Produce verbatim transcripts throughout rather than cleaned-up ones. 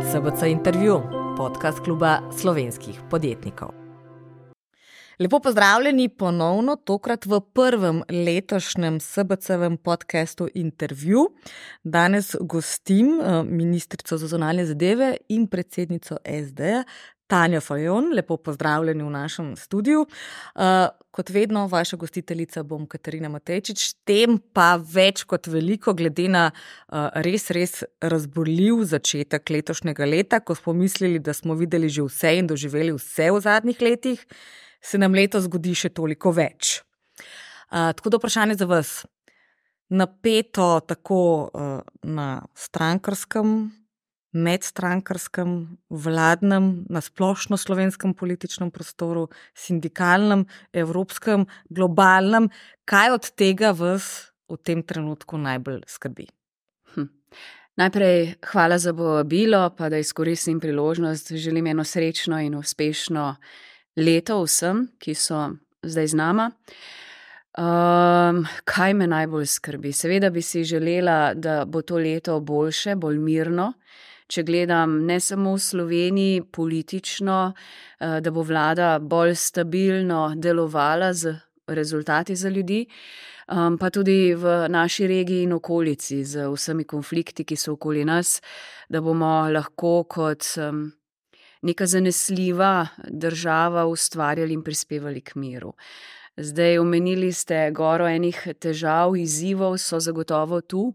S B C intervju, podcast kluba slovenskih podjetnikov. Lepo pozdravljeni ponovno, tokrat v prvem letošnjem S B C-vem podcastu intervju. Danes gostim ministrico za zunanje zadeve in predsednico S D-ja, Tanjo Fajon. Lepo pozdravljeni v našem studiu. Uh, kot vedno, vaša gostiteljica bom Katarina Matejčič, tem pa več kot veliko, glede na uh, res, res razborljiv začetek letošnjega leta, ko smo mislili, da smo videli že vse in doživeli vse v zadnjih letih, se nam letos zgodi še toliko več. Uh, tako da vprašanje za vas. Napeto tako uh, na strankarskem, medstrankarskem, vladnem, na splošno slovenskem političnem prostoru, sindikalnem, evropskem, globalnem. Kaj od tega vas v tem trenutku najbolj skrbi? Hm. Najprej hvala za povabilo, pa da izkoristim priložnost. Želim eno srečno in uspešno leto vsem, ki so zdaj z nama. Um, kaj me najbolj skrbi? Seveda bi si želela, da bo to leto boljše, bolj mirno. Če gledam ne samo v Sloveniji politično, da bo vlada bolj stabilno delovala z rezultati za ljudi, pa tudi v naši regiji in okolici z vsemi konflikti, ki so okoli nas, da bomo lahko kot neka zanesljiva država ustvarjali in prispevali k miru. Zdaj omenili ste goro enih težav, izzivov so zagotovo tu.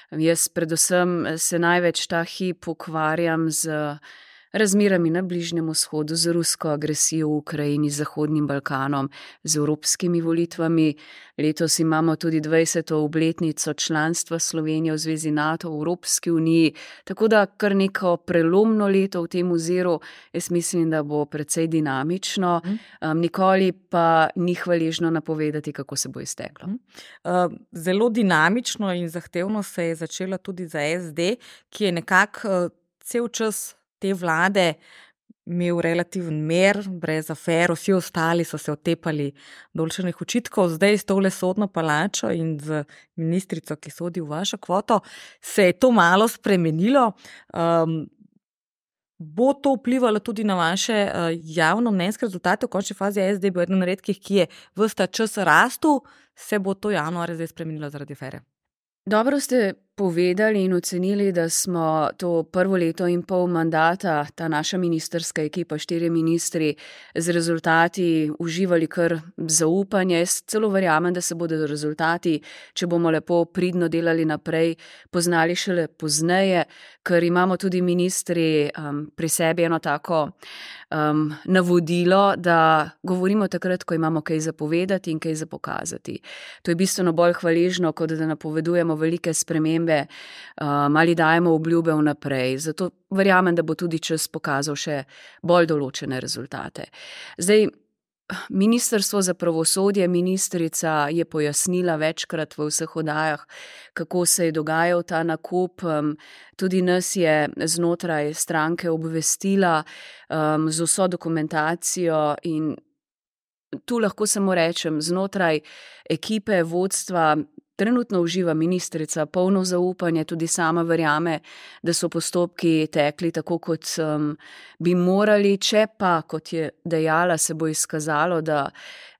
Jaz predvsem se največ ta hip ukvarjam z razmerami na Bližnjem vzhodu, z rusko agresijo v Ukrajini, z Zahodnim Balkanom, z evropskimi volitvami. Letos imamo tudi dvajseto obletnico članstva Slovenije v Zvezi NATO, v Evropski uniji, tako da kar neko prelomno leto v tem oziru. Jaz mislim, da bo precej dinamično, um, nikoli pa ni hvaležno napovedati, kako se bo izteklo. Uh, zelo dinamično in zahtevno se je začela tudi za S D, ki je nekako uh, cel čas te vlade imel relativen mir, brez afer, vsi ostali so se otepali določenih očitkov. Zdaj s tole sodno palačo in z ministrico, ki sodi v vašo kvoto, se je to malo spremenilo. Um, bo to vplivalo tudi na vaše uh, javnomnenjske rezultate? V končni fazi S D bo eden redkih, ki je ves ta čas rastel, se bo to januar zdaj spremenilo zaradi afere? Dobro ste povedali in ocenili, da smo to prvo leto in pol mandata, ta naša ministerska ekipa, štiri ministri, z rezultati uživali kar zaupanje. Jaz celo verjamem, da se bodo rezultati, če bomo lepo pridno delali naprej, poznali šele pozneje, ker imamo tudi ministri um, pri sebi eno tako um, navodilo, da govorimo takrat, ko imamo kaj zapovedati in kaj za pokazati. To je bistveno bolj hvaležno, kot da napovedujemo velike spremembe um, ali dajemo obljube vnaprej. Zato verjamem, da bo tudi čas pokazal še bolj določene rezultate. Zdaj, Ministrstvo za pravosodje, ministrica je pojasnila večkrat v vseh oddajah, kako se je dogajal ta nakup. Tudi nas je znotraj stranke obvestila um, z vso dokumentacijo in tu lahko samo rečem, znotraj ekipe vodstva trenutno uživa ministrica polno zaupanje, tudi sama verjame, da so postopki tekli tako, kot um, bi morali. Če pa, kot je dejala, se bo izkazalo, da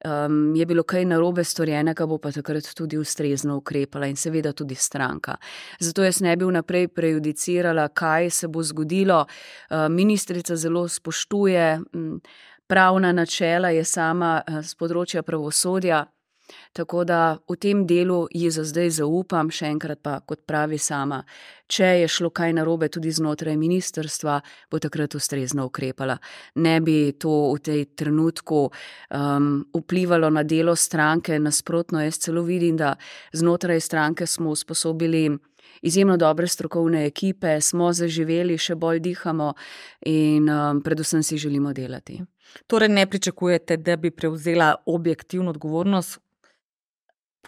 um, je bilo kaj narobe storjenega, bo pa takrat tudi ustrezno ukrepala in seveda tudi stranka. Zato jaz ne bi vnaprej prejudicirala, kaj se bo zgodilo. Uh, ministrica zelo spoštuje um, pravna načela, je sama uh, z področja pravosodja. Tako da v tem delu ji za zdaj zaupam, še enkrat pa, kot pravi sama, če je šlo kaj narobe tudi znotraj ministrstva, bo takrat ustrezno ukrepala. Ne bi to v tej trenutku um, vplivalo na delo stranke, nasprotno, jaz celo vidim, da znotraj stranke smo usposobili izjemno dobre strokovne ekipe, smo zaživeli, še bolj dihamo in um, predvsem si želimo delati. Torej ne pričakujete, da bi prevzela objektivno odgovornost,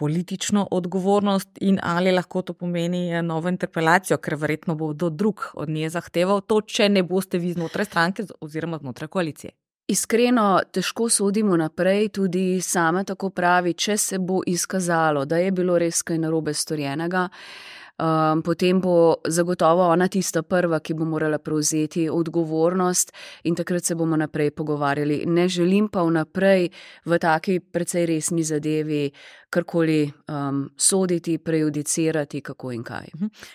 politično odgovornost in ali lahko to pomeni novo interpelacijo, ker verjetno bo kdo drug od nje zahteval to, če ne boste vi znotraj stranke oziroma znotraj koalicije? Iskreno, težko sodimo naprej, tudi sama tako pravi, če se bo izkazalo, da je bilo res kaj narobe storjenega, um, potem bo zagotovo ona tista prva, ki bo morala prevzeti odgovornost in takrat se bomo naprej pogovarjali. Ne želim pa vnaprej v taki precej resni zadevi karkoli um, soditi, prejudicirati, kako in kaj.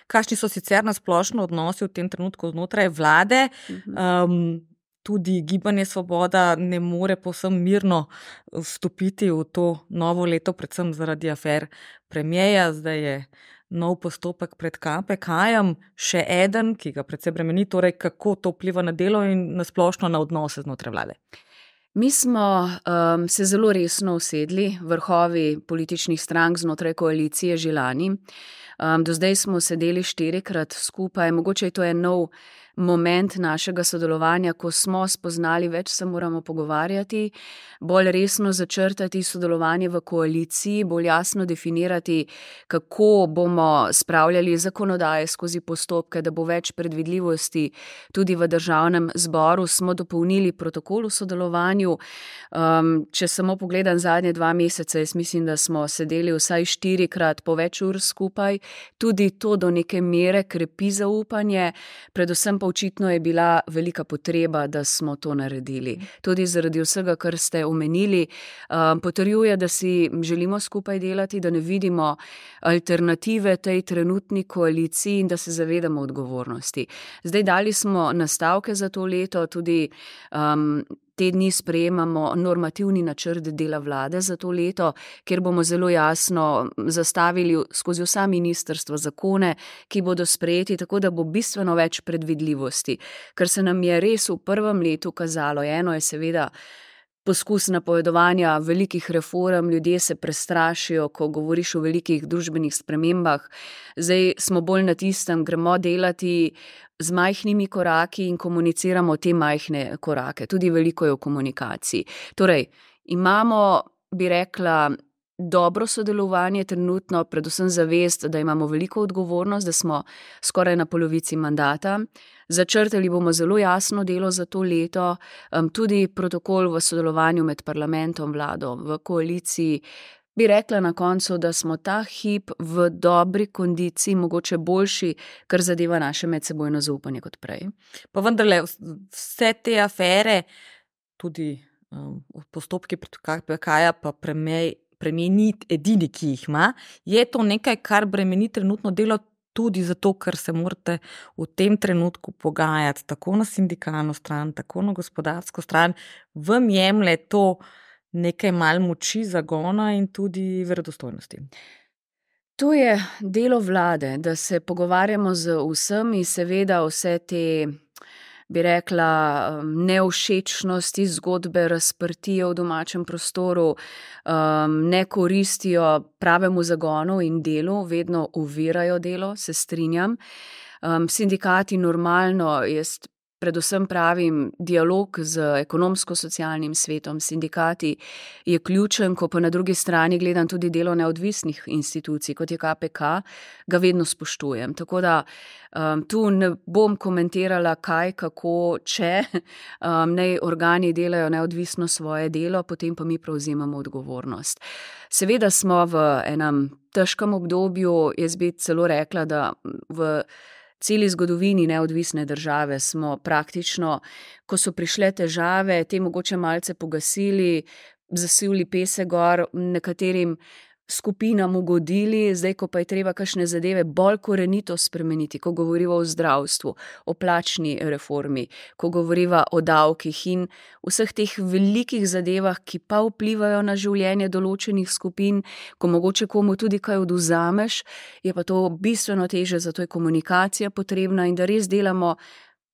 Kakšni so sicer na splošno odnosi v tem trenutku znotraj vlade? Um, tudi Gibanje Svoboda ne more povsem mirno vstopiti v to novo leto, predvsem zaradi afer premierja. Zdaj je nov postopek pred K P K-jem, še eden, ki ga predvsem bremeni, torej kako to vpliva na delo in na splošno na odnose znotraj vlade. Mi smo um, se zelo resno usedli, vrhovi političnih strank znotraj koalicije že lani. Um, do zdaj smo sedeli štirikrat skupaj, mogoče je to en nov moment našega sodelovanja, ko smo spoznali, več se moramo pogovarjati, bolj resno začrtati sodelovanje v koaliciji, bolj jasno definirati, kako bomo spravljali zakonodaje skozi postopke, da bo več predvidljivosti tudi v državnem zboru. Smo dopolnili protokol v sodelovanju. Um, če samo pogledam zadnje dva meseca, jaz mislim, da smo sedeli vsaj štirikrat po več ur skupaj. Tudi to do neke mere krepi zaupanje, predvsem pa očitno je bila velika potreba, da smo to naredili. Tudi zaradi vsega, kar ste omenili, um, potrjuje, da si želimo skupaj delati, da ne vidimo alternative tej trenutni koaliciji in da se zavedamo odgovornosti. Zdaj dali smo nastavke za to leto, tudi um, te dni sprejemamo normativni načrt dela vlade za to leto, kjer bomo zelo jasno zastavili skozi vsa ministrstva zakone, ki bodo sprejeti, tako da bo bistveno več predvidljivosti. Ker se nam je res v prvem letu kazalo, eno je seveda poskus napovedovanja velikih reform, ljudje se prestrašijo, ko govoriš o velikih družbenih spremembah. Zdaj smo bolj na tistem, gremo delati z majhnimi koraki in komuniciramo te majhne korake. Tudi veliko je v komunikaciji. Torej, imamo, bi rekla, dobro sodelovanje trenutno, predvsem zavest, da imamo veliko odgovornost, da smo skoraj na polovici mandata. Začrtali bomo zelo jasno delo za to leto, tudi protokol v sodelovanju med parlamentom, vlado, v koaliciji. Bi rekla na koncu, da smo ta hip v dobri kondiciji, mogoče boljši, kar zadeva naše medsebojno zaupanje kot prej. Pa vendarle, vse te afere, tudi um, postopki pred K P K-ja, pa premijer, premijer ni edini, ki jih ima, je to nekaj, kar bremeni trenutno delo tudi zato, ker se morate v tem trenutku pogajati tako na sindikalno stran, tako na gospodarsko stran, vam jemlje to nekaj malo moči, zagona in tudi verodostojnosti. To je delo vlade, da se pogovarjamo z vsemi, seveda vse te, bi rekla, nevšečnosti, zgodbe razprtije v domačem prostoru, um, ne koristijo pravemu zagonu in delu, vedno ovirajo delo, se strinjam. Um, sindikati normalno, jaz predvsem pravim, dialog z ekonomsko-socialnim svetom, sindikati je ključen, ko pa na drugi strani gledam tudi delo neodvisnih institucij, kot je K P K, ga vedno spoštujem. Tako da um, tu ne bom komentirala kaj, kako, če um, naj organi delajo neodvisno svoje delo, potem pa mi prevzemamo odgovornost. Seveda smo v enem težkem obdobju, jaz bi celo rekla, da v celi zgodovini neodvisne države smo praktično, ko so prišle težave, te mogoče malce pogasili, zasivli pesek gor, nekaterim skupinam ugodili, zdaj, ko pa je treba kakšne zadeve bolj korenito spremeniti, ko govoriva o zdravstvu, o plačni reformi, ko govoriva o davkih in vseh teh velikih zadevah, ki pa vplivajo na življenje določenih skupin, ko mogoče komu tudi kaj odvzameš, je pa to bistveno teže, zato je komunikacija potrebna in da res delamo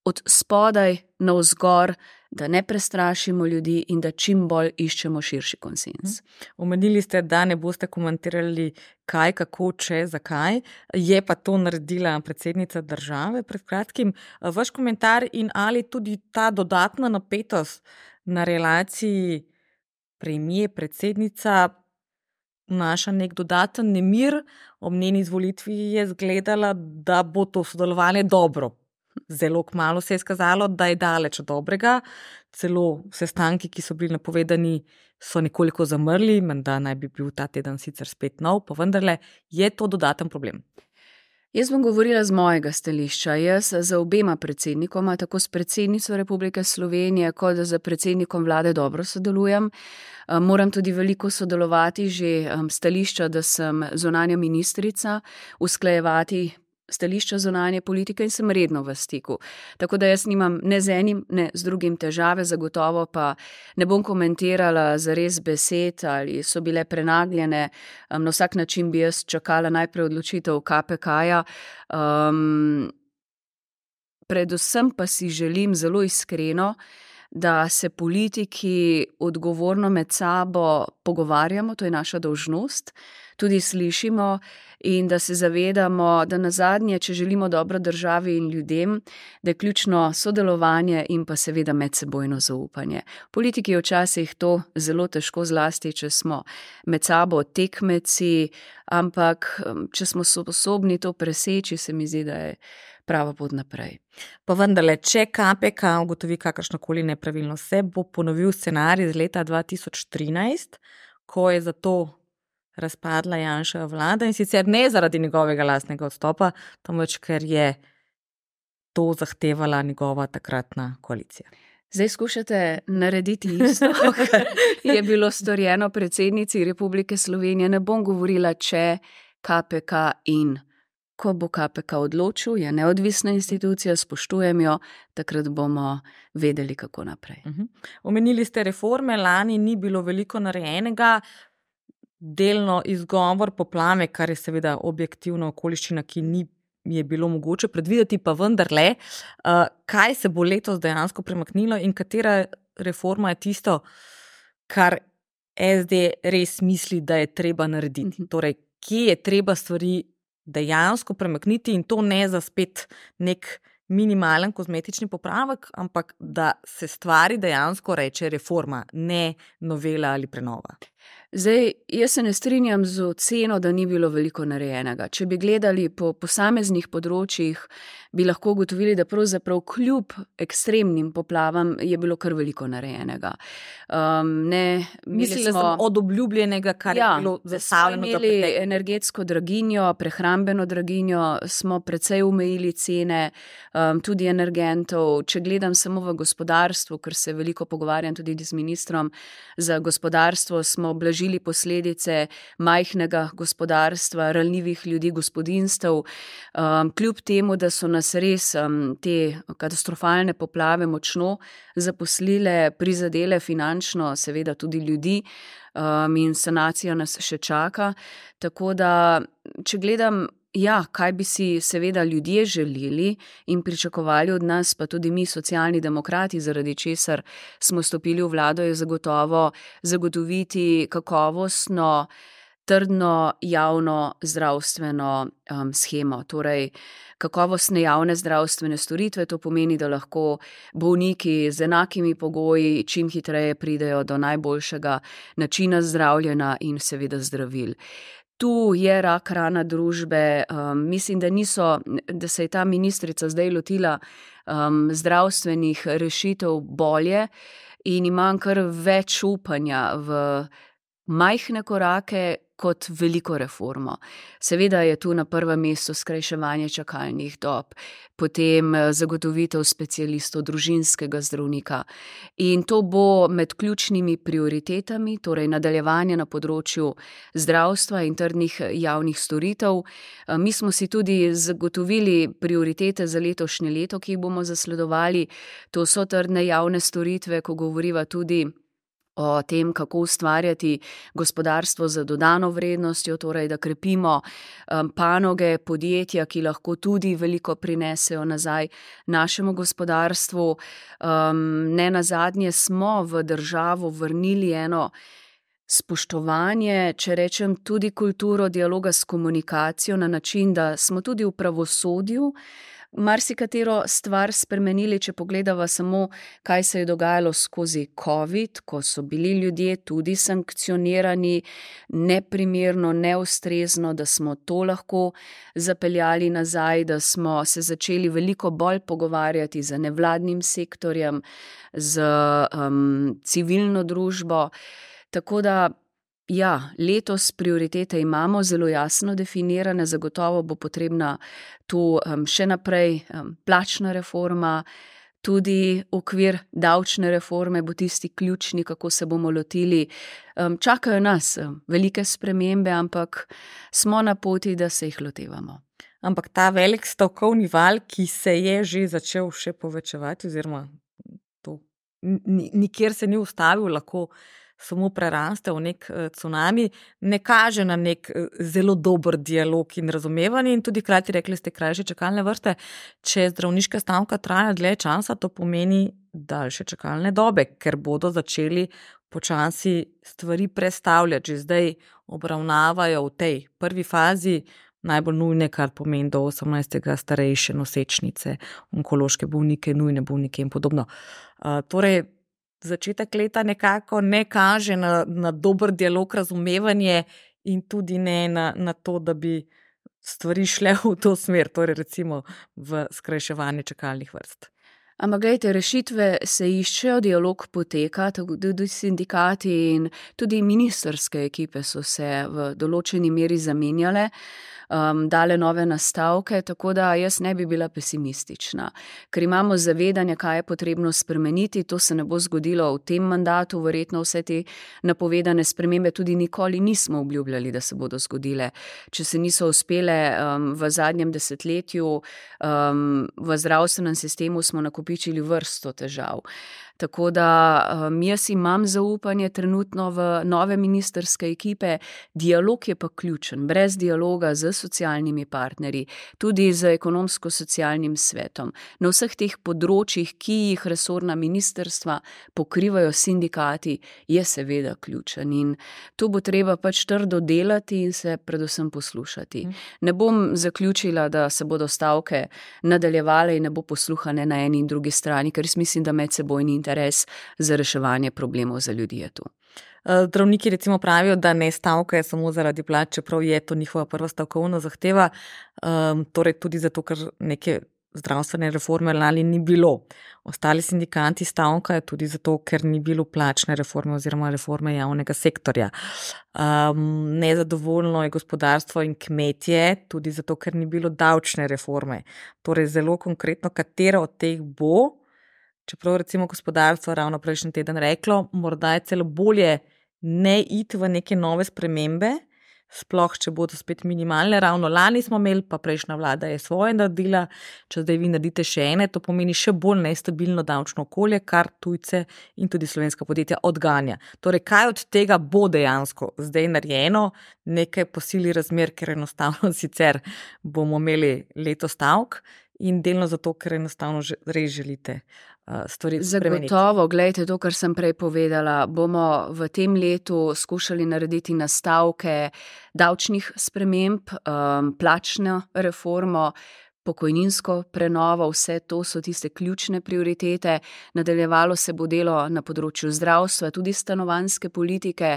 od spodaj navzgor, da ne prestrašimo ljudi in da čim bolj iščemo širši konsens. Omenili ste, da ne boste komentirali kaj, kako, če, zakaj. Je pa to naredila predsednica države pred kratkim. Vaš komentar in ali tudi ta dodatna napetost na relaciji premier, predsednica vnaša nek dodaten nemir, ob njeni izvolitvi je zgledala, da bo to sodelovanje dobro. Zelo kmalu se je skazalo, da je daleč od dobrega, celo sestanki, ki so bili napovedani, so nekoliko zamrli, menda naj bi bil ta teden sicer spet nov, pa vendarle je to dodaten problem. Jaz bom govorila z mojega stališča. Jaz za obema predsednikoma, tako s predsednico Republike Slovenije, kot z predsednikom vlade dobro sodelujem. Moram tudi veliko sodelovati že stališča, da sem zunanja ministrica, usklajevati stališča zunanje politike in sem redno v stiku. Tako da jaz nimam ne z enim, ne z drugim težave, zagotovo pa ne bom komentirala zares besed ali so bile prenagljene. Na vsak način bi jaz čakala najprej odločitev K P K-ja. Um, predvsem pa si želim zelo iskreno, da se politiki odgovorno med sabo pogovarjamo, to je naša dolžnost, tudi slišimo in da se zavedamo, da nazadnje, če želimo dobro državi in ljudem, da je ključno sodelovanje in pa seveda medsebojno zaupanje. Politiki včasih to zelo težko, zlasti, če smo med sabo tekmeci, ampak če smo sposobni to preseči, se mi zdi, da je prava pot naprej. Pa vendarle, če K P K ugotovi kakršnokoli nepravilnost, se bo ponovil scenarij iz leta dva tisoč trinajst, ko je za to razpadla Janševa vlada in sicer ne zaradi njegovega lastnega odstopa, temveč ker je to zahtevala njegova takratna koalicija. Zdaj skušate narediti isto, kar je bilo storjeno predsednici Republike Slovenije. Ne bom govorila, če K P K in ko bo K P K odločil, je neodvisna institucija, spoštujem jo, takrat bomo vedeli, kako naprej. Uh-huh. Omenili ste reforme, lani ni bilo veliko narejenega, delno izgovor poplave, kar je seveda objektivna okoliščina, ki ni je bilo mogoče predvideti, pa vendarle, uh, kaj se bo letos dejansko premaknilo in katera reforma je tisto, kar S D res misli, da je treba narediti. Torej, kje je treba stvari dejansko premakniti in to ne za spet nek minimalen kozmetični popravek, ampak da se stvari dejansko reče reforma, ne novela ali prenova. Zdaj, jaz se ne strinjam z oceno, da ni bilo veliko narejenega. Če bi gledali po posameznih področjih, bi lahko ugotovili, da pravzaprav kljub ekstremnim poplavam je bilo kar veliko narejenega. Um, ne, Mislila smo, sem od obljubljenega, kar ja, je bilo zastavljeno. Smo imeli energetsko draginjo, prehrambeno draginjo, smo precej omejili cene, um, tudi energentov. Če gledam samo v gospodarstvu, ker se veliko pogovarjam tudi z ministrom za gospodarstvo, smo blažili posledice majhnega gospodarstva, ranljivih ljudi, gospodinjstev. Um, kljub temu, da so nas res um, te katastrofalne poplave močno zaposlile, prizadele finančno, seveda tudi ljudi, um, in sanacija nas še čaka. Tako da, če gledam, ja, kaj bi si seveda ljudje želeli in pričakovali od nas, pa tudi mi, socialni demokrati, zaradi česar smo stopili v vlado, je zagotovo zagotoviti kakovostno, trdno javno zdravstveno um, shemo. Torej, kakovostne javne zdravstvene storitve, to pomeni, da lahko bolniki z enakimi pogoji čim hitreje pridejo do najboljšega načina zdravljenja in seveda zdravil. Tu je rak rana družbe, um, mislim, da, niso, da se je ta ministrica zdaj lotila um, zdravstvenih rešitev bolje in imam kar več upanja v majhne korake kot veliko reformo. Seveda je tu na prvem mestu skrajševanje čakalnih dob, potem zagotovitev specialistov, družinskega zdravnika. In to bo med ključnimi prioritetami, torej nadaljevanje na področju zdravstva in trdnih javnih storitev. Mi smo si tudi zagotovili prioritete za letošnje leto, ki jih bomo zasledovali. To so trdne javne storitve, ko govoriva tudi o tem, kako ustvarjati gospodarstvo z dodano vrednostjo, torej da krepimo um, panoge, podjetja, ki lahko tudi veliko prinesejo nazaj našemu gospodarstvu. Um, ne nazadnje smo v državo vrnili eno spoštovanje, če rečem tudi kulturo dialoga s komunikacijo na način, da smo tudi v pravosodju marsikatero stvar spremenili, če pogledava samo, kaj se je dogajalo skozi COVID, ko so bili ljudje tudi sankcionirani neprimerno, neustrezno, da smo to lahko zapeljali nazaj, da smo se začeli veliko bolj pogovarjati z nevladnim sektorjem, z um, civilno družbo. Tako da Ja, letos prioritete imamo zelo jasno definirane, zagotovo bo potrebna tu um, še naprej um, plačna reforma, tudi okvir davčne reforme bo tisti ključni, kako se bomo lotili. Um, čakajo nas um, velike spremembe, ampak smo na poti, da se jih lotevamo. Ampak ta velik stavkovni val, ki se je že začel še povečevati, oziroma to nikjer se ni ustavil, lahko samo preraste v nek cunami, ne kaže na nek zelo dober dialog in razumevanje in tudi hkrati rekli ste krajše čakalne vrste. Če zdravniška stavka traja dlje časa, to pomeni daljše čakalne dobe, ker bodo začeli počasi stvari prestavljati. Že zdaj obravnavajo v tej prvi fazi najbolj nujne, kar pomeni do osemnajstega starejše nosečnice, onkološke bolnike, nujne bolnike in podobno. Uh, torej, začetek leta nekako ne kaže na, na dober dialog, razumevanje in tudi ne na, na to, da bi stvari šle v to smer, torej recimo v skrajševanje čakalnih vrst. Ampak gledajte, rešitve se iščejo, dialog poteka, tudi sindikati in tudi ministerske ekipe so se v določeni meri zamenjale, um, dale nove nastavke, tako da jaz ne bi bila pesimistična. Ker imamo zavedanje, kaj je potrebno spremeniti, to se ne bo zgodilo v tem mandatu, verjetno vse te napovedane spremembe tudi nikoli nismo obljubljali, da se bodo zgodile. Če se niso uspele um, v zadnjem desetletju, um, v zdravstvenem sistemu smo nakupili vrsto težav. Tako da um, jaz imam zaupanje trenutno v nove ministerske ekipe, dialog je pa ključen, brez dialoga z socialnimi partnerji, tudi z ekonomsko-socialnim svetom. Na vseh teh področjih, ki jih resorna ministerstva pokrivajo sindikati, je seveda ključen in tu bo treba pač trdo delati in se predvsem poslušati. Mm. Ne bom zaključila, da se bodo stavke nadaljevale in ne bo posluha ne na eni in drugi strani, ker mislim, da medsebojni interes za reševanje problemov za ljudi je tu. Zdravniki recimo pravijo, da ne stavkajo samo zaradi plač, čeprav je to njihova prva stavkovna zahteva, um, torej tudi zato, ker neke zdravstvene reforme lani ni bilo. Ostali sindikanti stavkajo tudi zato, ker ni bilo plačne reforme oziroma reforme javnega sektorja. Um, nezadovoljno je gospodarstvo in kmetje, tudi zato, ker ni bilo davčne reforme. Torej zelo konkretno, katera od teh bo, čeprav recimo gospodarstvo ravno prejšnji teden reklo, morda je celo bolje ne iti v neke nove spremembe, sploh če bodo spet minimalne. Ravno lani smo imeli, pa prejšnja vlada je svoje naredila, če zdaj vi naredite še ene, to pomeni še bolj nestabilno davčno okolje, kar tujce in tudi slovenska podjetja odganja. Torej, kaj od tega bo dejansko zdaj narejeno, nekaj po sili razmer, ker enostavno sicer bomo imeli leto stavk in delno zato, ker enostavno res želite stvari spremeniti. Zagotovo, gledajte, to, kar sem prej povedala, bomo v tem letu skušali narediti nastavke davčnih sprememb, um, plačno reformo, pokojninsko prenovo, vse to so tiste ključne prioritete. Nadaljevalo se bo delo na področju zdravstva, tudi stanovanjske politike.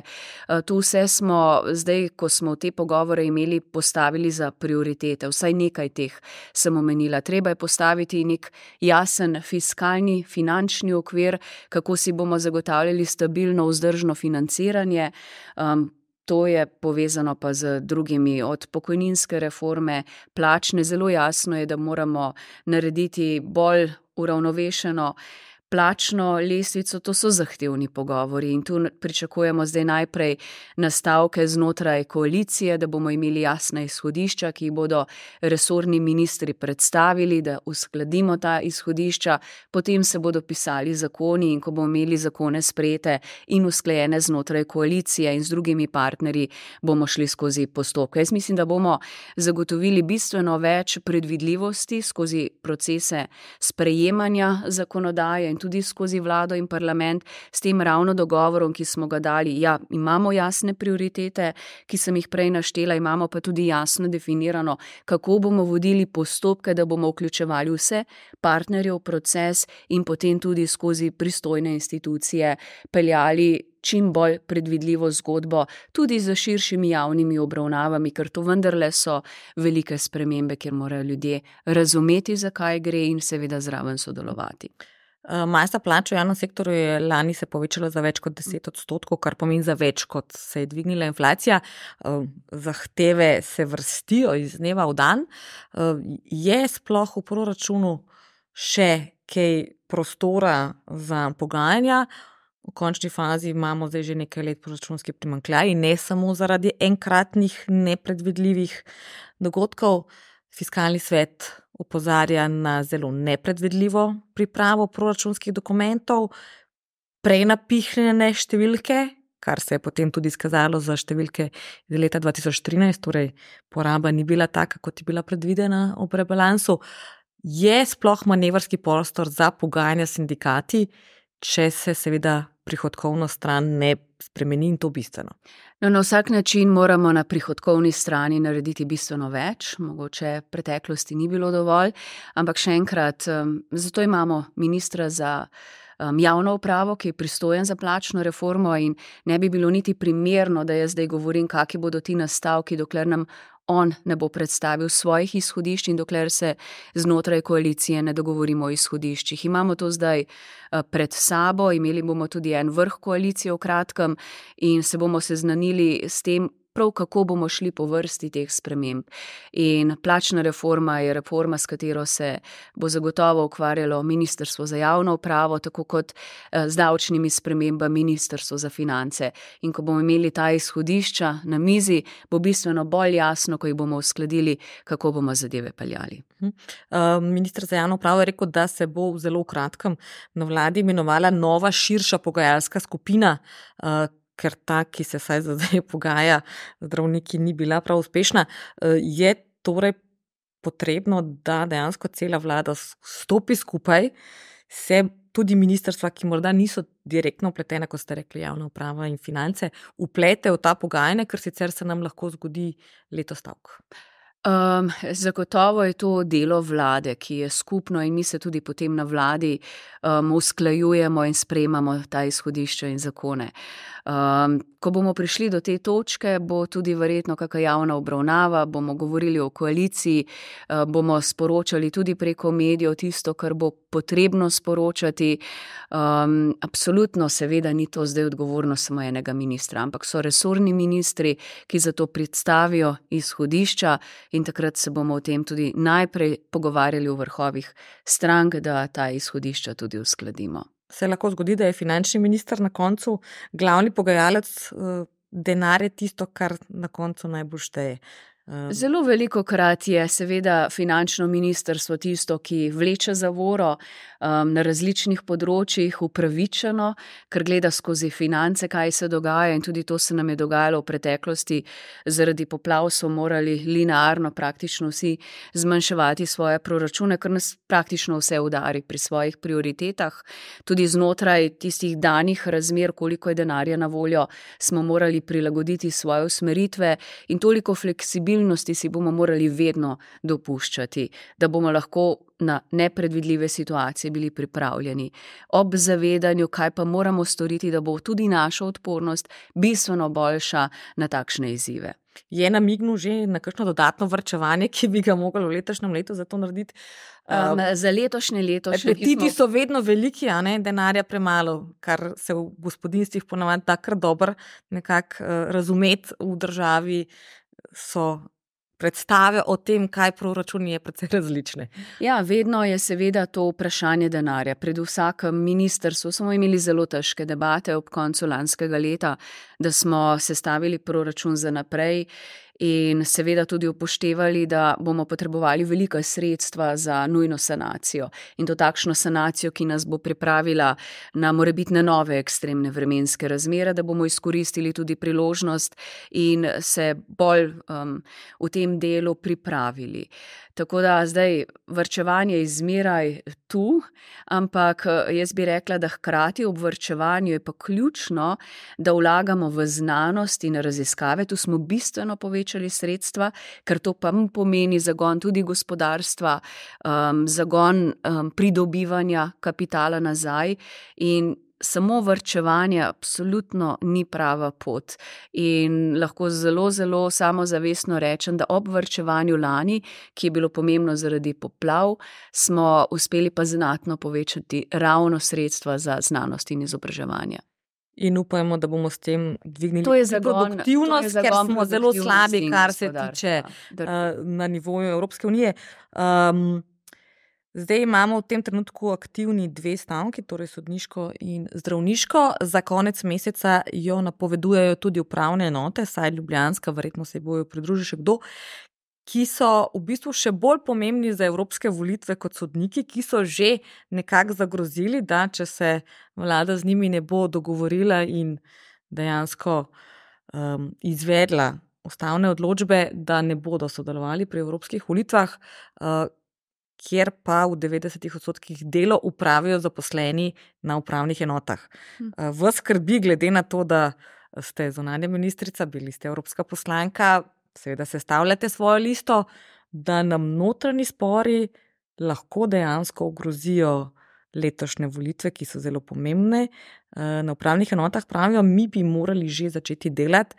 Tu vse smo zdaj, ko smo te pogovore imeli, postavili za prioritete. Vsaj nekaj teh sem omenila. Treba je postaviti nek jasen fiskalni, finančni okvir, kako si bomo zagotavljali stabilno, vzdržno financiranje. Um, To je povezano pa z drugimi, od pokojninske reforme, plačne. Zelo jasno je, da moramo narediti bolj uravnovešeno plačno lestvico. To so zahtevni pogovori in tu pričakujemo zdaj najprej nastavke znotraj koalicije, da bomo imeli jasna izhodišča, ki jih bodo resorni ministri predstavili, da uskladimo ta izhodišča, potem se bodo pisali zakoni in ko bomo imeli zakone sprejete in usklajene znotraj koalicije in z drugimi partnerji, bomo šli skozi postopke. Jaz mislim, da bomo zagotovili bistveno več predvidljivosti skozi procese sprejemanja zakonodaje in tudi skozi vlado in parlament s tem ravno dogovorom, ki smo ga dali. Ja, imamo jasne prioritete, ki sem jih prej naštela, imamo pa tudi jasno definirano, kako bomo vodili postopke, da bomo vključevali vse partnerje v proces in potem tudi skozi pristojne institucije peljali čim bolj predvidljivo zgodbo, tudi za širšimi javnimi obravnavami, ker to vendarle so velike spremembe, kjer morajo ljudje razumeti, zakaj gre in seveda zraven sodelovati. Masa plač v javnem sektorju je lani se povečala za več kot deset odstotkov, kar pomeni za več, kot se je dvignila inflacija. Zahteve se vrstijo iz dneva v dan. Je sploh v proračunu še kaj prostora za pogajanja? V končni fazi imamo zdaj že nekaj let proračunski primanjkljaj in ne samo zaradi enkratnih nepredvidljivih dogodkov. Fiskalni svet opozarja na zelo nepredvidljivo pripravo proračunskih dokumentov, prenapihnjene številke, kar se je potem tudi izkazalo za številke iz leta dva tisoč trinajst, torej poraba ni bila taka, kot je bila predvidena ob rebalansu. Je sploh manevrski prostor za pogajanja s sindikati, če se seveda prihodkovno stran ne spremeni in to bistveno? No, na vsak način moramo na prihodkovni strani narediti bistveno več, mogoče v preteklosti ni bilo dovolj, ampak še enkrat, zato imamo ministra za javno upravo, ki je pristojen za plačno reformo in ne bi bilo niti primerno, da jaz zdaj govorim, kakšni bodo ti nastavki, dokler nam on ne bo predstavil svojih izhodišč in dokler se znotraj koalicije ne dogovorimo o izhodiščih. Imamo to zdaj pred sabo, imeli bomo tudi en vrh koalicije v kratkem in se bomo seznanili s tem, prav kako bomo šli po vrsti teh sprememb. In plačna reforma je reforma, s katero se bo zagotovo ukvarjalo Ministrstvo za javno upravo, tako kot z davčnimi spremembami Ministrstvo za finance. In ko bomo imeli ta izhodišča na mizi, bo bistveno bolj jasno, ko jih bomo uskladili, kako bomo zadeve peljali. Minister za javno upravo je rekel, da se bo v zelo kratkem na vladi imenovala nova širša pogajalska skupina, ker ta, ki se vsaj zdaj pogaja zdravniki, ni bila prav uspešna. Je torej potrebno, da dejansko cela vlada stopi skupaj, se tudi ministrstva, ki morda niso direktno vpletena, kot ste rekli, javna uprava in finance, vplete v ta pogajanja, ker sicer se nam lahko zgodi leto stavk? Um, zagotovo je to delo vlade, ki je skupno in mi se tudi potem na vladi um, usklajujemo in sprejemamo ta izhodišča in zakone. Um, ko bomo prišli do te točke, bo tudi verjetno kakšna javna obravnava, bomo govorili o koaliciji, uh, bomo sporočali tudi preko medijev tisto, kar bo potrebno sporočati. Um, absolutno seveda ni to zdaj odgovornost samo enega ministra, ampak so resorni ministri, ki za to predstavijo izhodišča in takrat se bomo o tem tudi najprej pogovarjali v vrhovih strank, da ta izhodišča tudi uskladimo. Se lahko zgodi, da je finančni minister na koncu glavni pogajalec, denar je tisto, kar na koncu najbolj šteje. Zelo veliko krat je seveda finančno ministrstvo tisto, ki vleče zavoro um, na različnih področjih upravičeno, ker gleda skozi finance, kaj se dogaja, in tudi to se nam je dogajalo v preteklosti. Zaradi poplav so morali linearno praktično vsi zmanjševati svoje proračune, ker nas praktično vse udari pri svojih prioritetah. Tudi znotraj tistih danih razmer, koliko je denarja na voljo, smo morali prilagoditi svoje usmeritve in toliko fleksibilnosti si bomo morali vedno dopuščati, da bomo lahko na nepredvidljive situacije bili pripravljeni. Ob zavedanju, kaj pa moramo storiti, da bo tudi naša odpornost bistveno boljša na takšne izzive. Je namignil že na kakšno dodatno varčevanje, ki bi ga mogli v letošnjem letu za to narediti? Um, za letošnje leto še apetiti smo... so vedno veliki, a ne, denarja premalo, kar se v gospodinstvih ponavadi takrat dobro nekako uh, razumeti v državi. So predstave o tem, kaj proračuni je precej različne. Ja, vedno je seveda to vprašanje denarja. Pred vsakem ministrstvu smo imeli zelo težke debate ob koncu lanskega leta, da smo sestavili proračun za naprej in seveda tudi upoštevali, da bomo potrebovali velika sredstva za nujno sanacijo. In to takšno sanacijo, ki nas bo pripravila na morebitne nove ekstremne vremenske razmere, da bomo izkoristili tudi priložnost in se bolj um, v tem delu pripravili. Tako da zdaj varčevanje je zmeraj tu, ampak jaz bi rekla, da hkrati ob varčevanju je pa ključno, da vlagamo v znanost in raziskave. Tu smo bistveno povečali sredstva, ker to pa pomeni zagon tudi gospodarstva, um, zagon um, pridobivanja kapitala nazaj in samo varčevanje absolutno ni prava pot. In lahko zelo, zelo samozavestno rečem, da ob varčevanju lani, ki je bilo pomembno zaradi poplav, smo uspeli pa znatno povečati ravno sredstva za znanost in izobraževanje. In upajmo, da bomo s tem dvignili To je zagon, produktivnost, to je zagon ker smo zelo slabi, produktivnosti in kar se gospodarstva. tiče uh, na nivoju Evropske unije. Um, zdaj imamo v tem trenutku aktivni dve stavki, torej sodniško in zdravniško. Za konec meseca jo napovedujejo tudi upravne enote, saj ljubljanska, verjetno se bojo pridružili še kdo, ki so v bistvu še bolj pomembni za evropske volitve kot sodniki, ki so že nekako zagrozili, da če se vlada z njimi ne bo dogovorila in dejansko um, izvedla ustavne odločbe, da ne bodo sodelovali pri evropskih volitvah, uh, kjer pa v devetdesetih odstotkih delo upravijo zaposleni na upravnih enotah. Uh, v skrbi glede na to, da ste zunanja ministrica, bili ste evropska poslanka, seveda sestavljate svojo listo, da nam notranji spori lahko dejansko ogrozijo letošnje volitve, ki so zelo pomembne. Na upravnih enotah pravijo, mi bi morali že začeti delati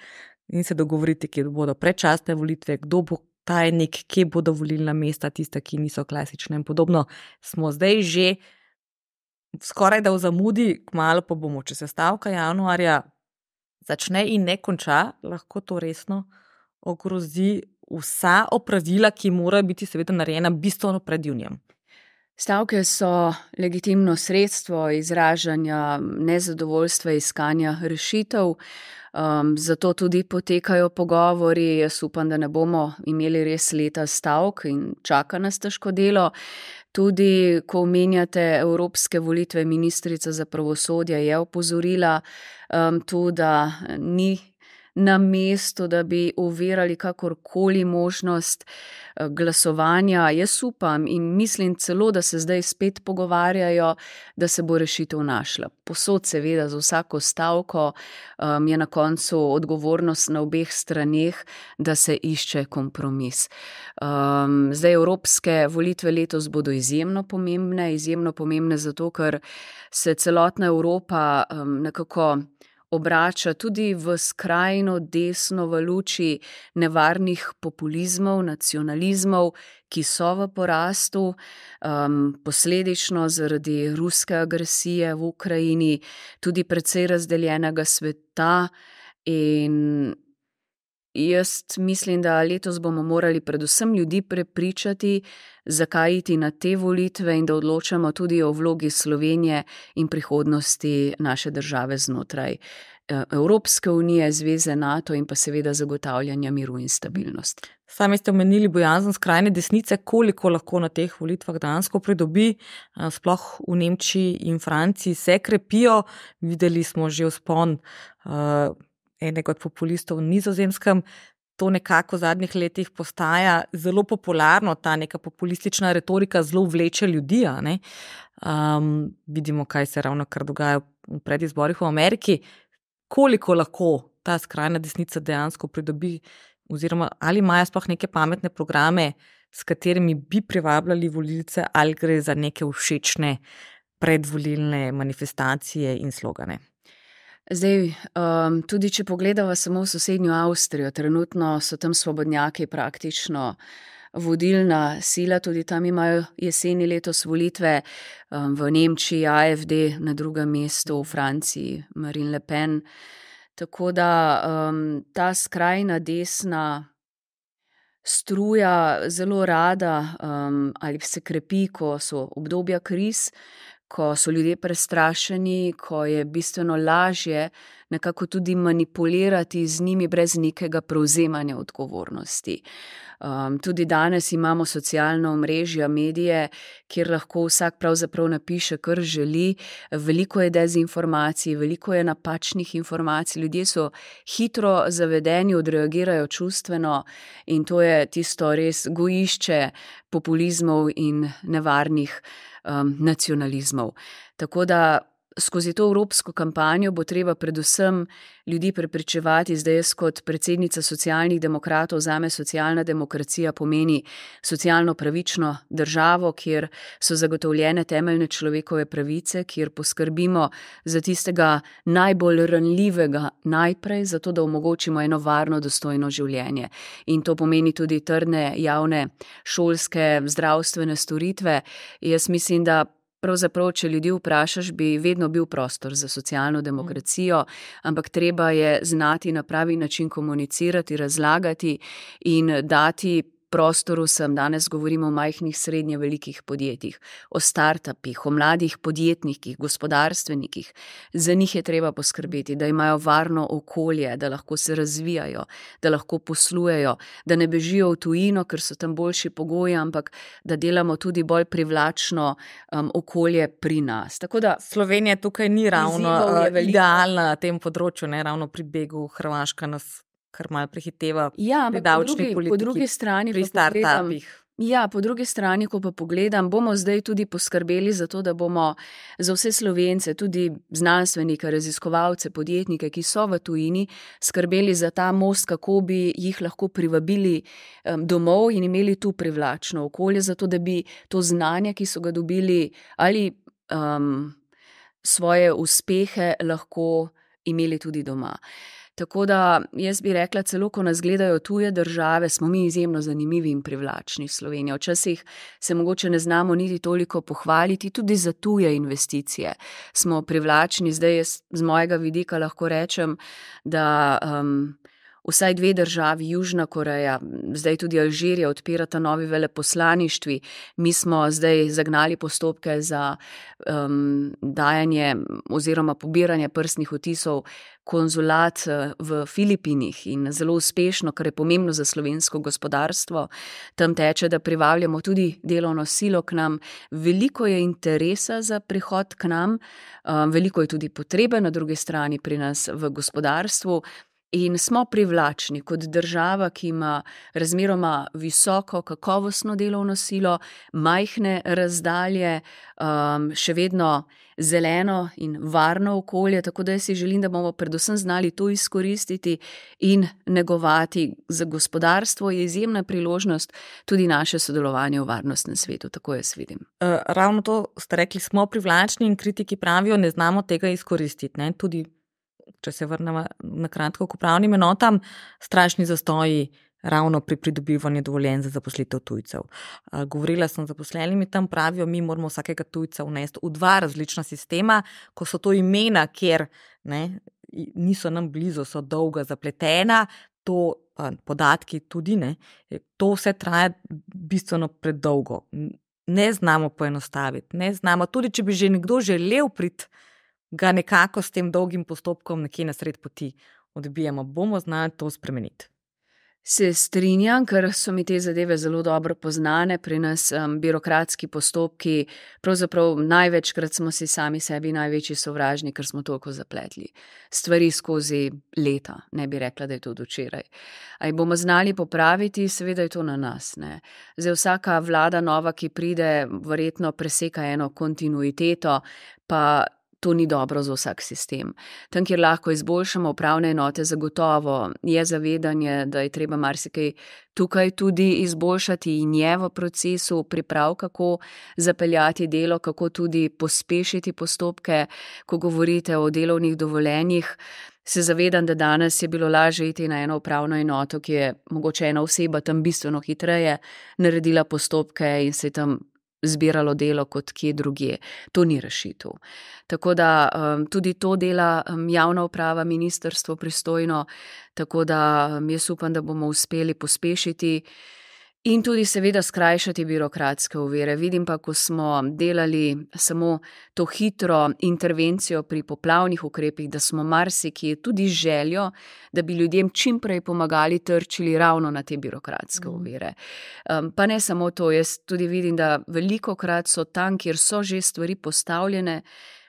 in se dogovoriti, kje bodo predčasne volitve, kdo bo tajnik, kje bodo volilna mesta, tista, ki niso klasične in podobno. Smo zdaj že skoraj da v zamudi, kmalu pa bomo, če se stavka januarja začne in ne konča, lahko to resno ogrozi vsa opravila, ki morajo biti seveda narejena bistveno pred junijem. Stavke so legitimno sredstvo izražanja nezadovoljstva, iskanja rešitev, um, zato tudi potekajo pogovori. Jaz upam, da ne bomo imeli res leta stavk in čaka nas težko delo. Tudi, ko omenjate evropske volitve, ministrica za pravosodje je opozorila um, tu, da ni na mestu, da bi ovirali kakorkoli možnost glasovanja. Jaz upam in mislim celo, da se zdaj spet pogovarjajo, da se bo rešitev našla. Posod seveda za vsako stavko um, je na koncu odgovornost na obeh straneh, da se išče kompromis. Um, zdaj evropske volitve letos bodo izjemno pomembne, izjemno pomembne zato, ker se celotna Evropa um, nekako obrača tudi v skrajno desno v luči nevarnih populizmov, nacionalizmov, ki so v porastu, um, posledično zaradi ruske agresije v Ukrajini, tudi precej razdeljenega sveta. In jaz mislim, da letos bomo morali predvsem ljudi prepričati, zakaj iti na te volitve in da odločamo tudi o vlogi Slovenije in prihodnosti naše države znotraj Evropske unije, Zveze NATO in pa seveda zagotavljanja miru in stabilnosti. Sami ste omenili bojazen skrajne desnice, koliko lahko na teh volitvah dejansko pridobi, sploh v Nemčiji in Franciji se krepijo. Videli smo že vzpon uh, enega od populistov v Nizozemskem. To nekako v zadnjih letih postaja zelo popularno, ta neka populistična retorika zelo vleče ljudi. A ne? Um, vidimo, kaj se ravno kar dogaja v predizborih v Ameriki. Koliko lahko ta skrajna desnica dejansko pridobi, oziroma ali imajo sploh neke pametne programe, s katerimi bi privabljali volilce, ali gre za neke všečne predvolilne manifestacije in slogane? Zdaj, um, tudi če pogledava samo v sosednjo Avstrijo, trenutno so tam svobodnjaki praktično vodilna sila, tudi tam imajo jeseni letos volitve, um, v Nemčiji A F D na drugem mestu, v Franciji Marine Le Pen. Tako da um, ta skrajna desna struja zelo rada um, ali se krepi, ko so obdobja kriz, ko so ljudje prestrašeni, ko je bistveno lažje nekako tudi manipulirati z njimi brez nekega prevzemanja odgovornosti. Um, tudi danes imamo socialna omrežja, medije, kjer lahko vsak pravzaprav napiše, kar želi. Veliko je dezinformacij, veliko je napačnih informacij, ljudje so hitro zavedeni, odreagirajo čustveno in to je tisto res gojišče populizmov in nevarnih um, nacionalizmov. Tako da skozi to evropsko kampanjo bo treba predvsem ljudi prepričevati, zdaj jaz kot predsednica socialnih demokratov, zame socialna demokracija pomeni socialno pravično državo, kjer so zagotovljene temeljne človekove pravice, kjer poskrbimo za tistega najbolj ranljivega najprej, zato da omogočimo eno varno, dostojno življenje. In to pomeni tudi trdne javne šolske zdravstvene storitve. Jaz mislim, da pravzaprav, če ljudi vprašaš, bi vedno bil prostor za socialno demokracijo, ampak treba je znati na pravi način komunicirati, razlagati in dati prostoru vsem. Danes govorimo o majhnih, srednje velikih podjetjih, o startupih, o mladih podjetnikih, gospodarstvenikih. Za njih je treba poskrbeti, da imajo varno okolje, da lahko se razvijajo, da lahko poslujejo, da ne bežijo v tujino, ker so tam boljši pogoji, ampak da delamo tudi bolj privlačno um, okolje pri nas. Tako da Slovenija tukaj ni ravno uh, idealna na tem področju, ne ravno pri begu. Hrvaška nas kar malo prehiteva ja, pri davčni politiki, po drugi strani pri startupih. Ja, po drugi strani, ko pa pogledam, bomo zdaj tudi poskrbeli za to, da bomo za vse Slovence, tudi znanstvenike, raziskovalce, podjetnike, ki so v tujini, skrbeli za ta most, kako bi jih lahko privabili um, domov in imeli tu privlačno okolje, zato da bi to znanje, ki so ga dobili, ali um, svoje uspehe lahko imeli tudi doma. Tako da jaz bi rekla, celo ko nas gledajo tuje države, smo mi izjemno zanimivi in privlačni Slovenija. Včasih se mogoče ne znamo niti toliko pohvaliti, tudi za tuje investicije smo privlačni. Zdaj jaz z mojega vidika lahko rečem, da um, vsaj dve državi, Južna Koreja, zdaj tudi Alžirija, odpirata novi veleposlaništvi. Mi smo zdaj zagnali postopke za um, dajanje oziroma pobiranje prstnih odtisov konzulat v Filipinih in zelo uspešno, kar je pomembno za slovensko gospodarstvo. Tam teče, da privabljamo tudi delovno silo k nam. Veliko je interesa za prihod k nam, veliko je tudi potrebe na drugi strani pri nas v gospodarstvu. In smo privlačni kot država, ki ima razmeroma visoko kakovostno delovno silo, majhne razdalje, um, še vedno zeleno in varno okolje, tako da si želim, da bomo predvsem znali to izkoristiti in negovati. Za gospodarstvo je izjemna priložnost tudi naše sodelovanje v varnostnem svetu, tako jaz vidim. Uh, ravno to ste rekli, smo privlačni in kritiki pravijo, ne znamo tega izkoristiti, ne? Tudi če se vrnemo na kratko k upravnim enotam, strašni zastoji ravno pri pridobivanju dovoljenj za zaposlitev tujcev. Govorila sem z zaposlenimi, tam pravijo, mi moramo vsakega tujca vnesti v dva različna sistema, ko so to imena, kjer ne, niso nam blizu, so dolga, zapletena, to podatki tudi ne, to vse traja bistveno predolgo. Ne znamo poenostaviti, ne znamo, tudi če bi že nekdo želel priti, ga nekako s tem dolgim postopkom nekje na sred poti odbijamo. Bomo znali to spremeniti. Se strinjam, ker so mi te zadeve zelo dobro poznane. Pri nas um, birokratski postopki, pravzaprav največkrat smo si sami sebi največji sovražni, ker smo toliko zapletli. Stvari skozi leta, ne bi rekla, da je to od včeraj. A jih bomo znali popraviti, seveda je to na nas. Ne? Zdaj vsaka vlada nova, ki pride, verjetno preseka eno kontinuiteto, pa to ni dobro za vsak sistem. Tam, kjer lahko izboljšamo upravne enote, zagotovo je zavedanje, da je treba marsikaj tukaj tudi izboljšati in je v procesu priprav, kako zapeljati delo, kako tudi pospešiti postopke. Ko govorite o delovnih dovoljenjih, se zavedam, da danes je bilo lažje iti na eno upravno enoto, ki je mogoče ena oseba tam bistveno hitreje naredila postopke in se tam zbiralo delo kot kje drugje. To ni rešitev. Tako da um, tudi to dela um, javna uprava, ministrstvo pristojno, tako da um, jaz upam, da bomo uspeli pospešiti in tudi seveda skrajšati birokratske ovire. Vidim pa, ko smo delali samo to hitro intervencijo pri poplavnih ukrepih, da smo marsikje tudi željo, da bi ljudem čim prej pomagali, trčili ravno na te birokratske ovire. Um, pa ne samo to, jaz tudi vidim, da velikokrat so tam, kjer so že stvari postavljene,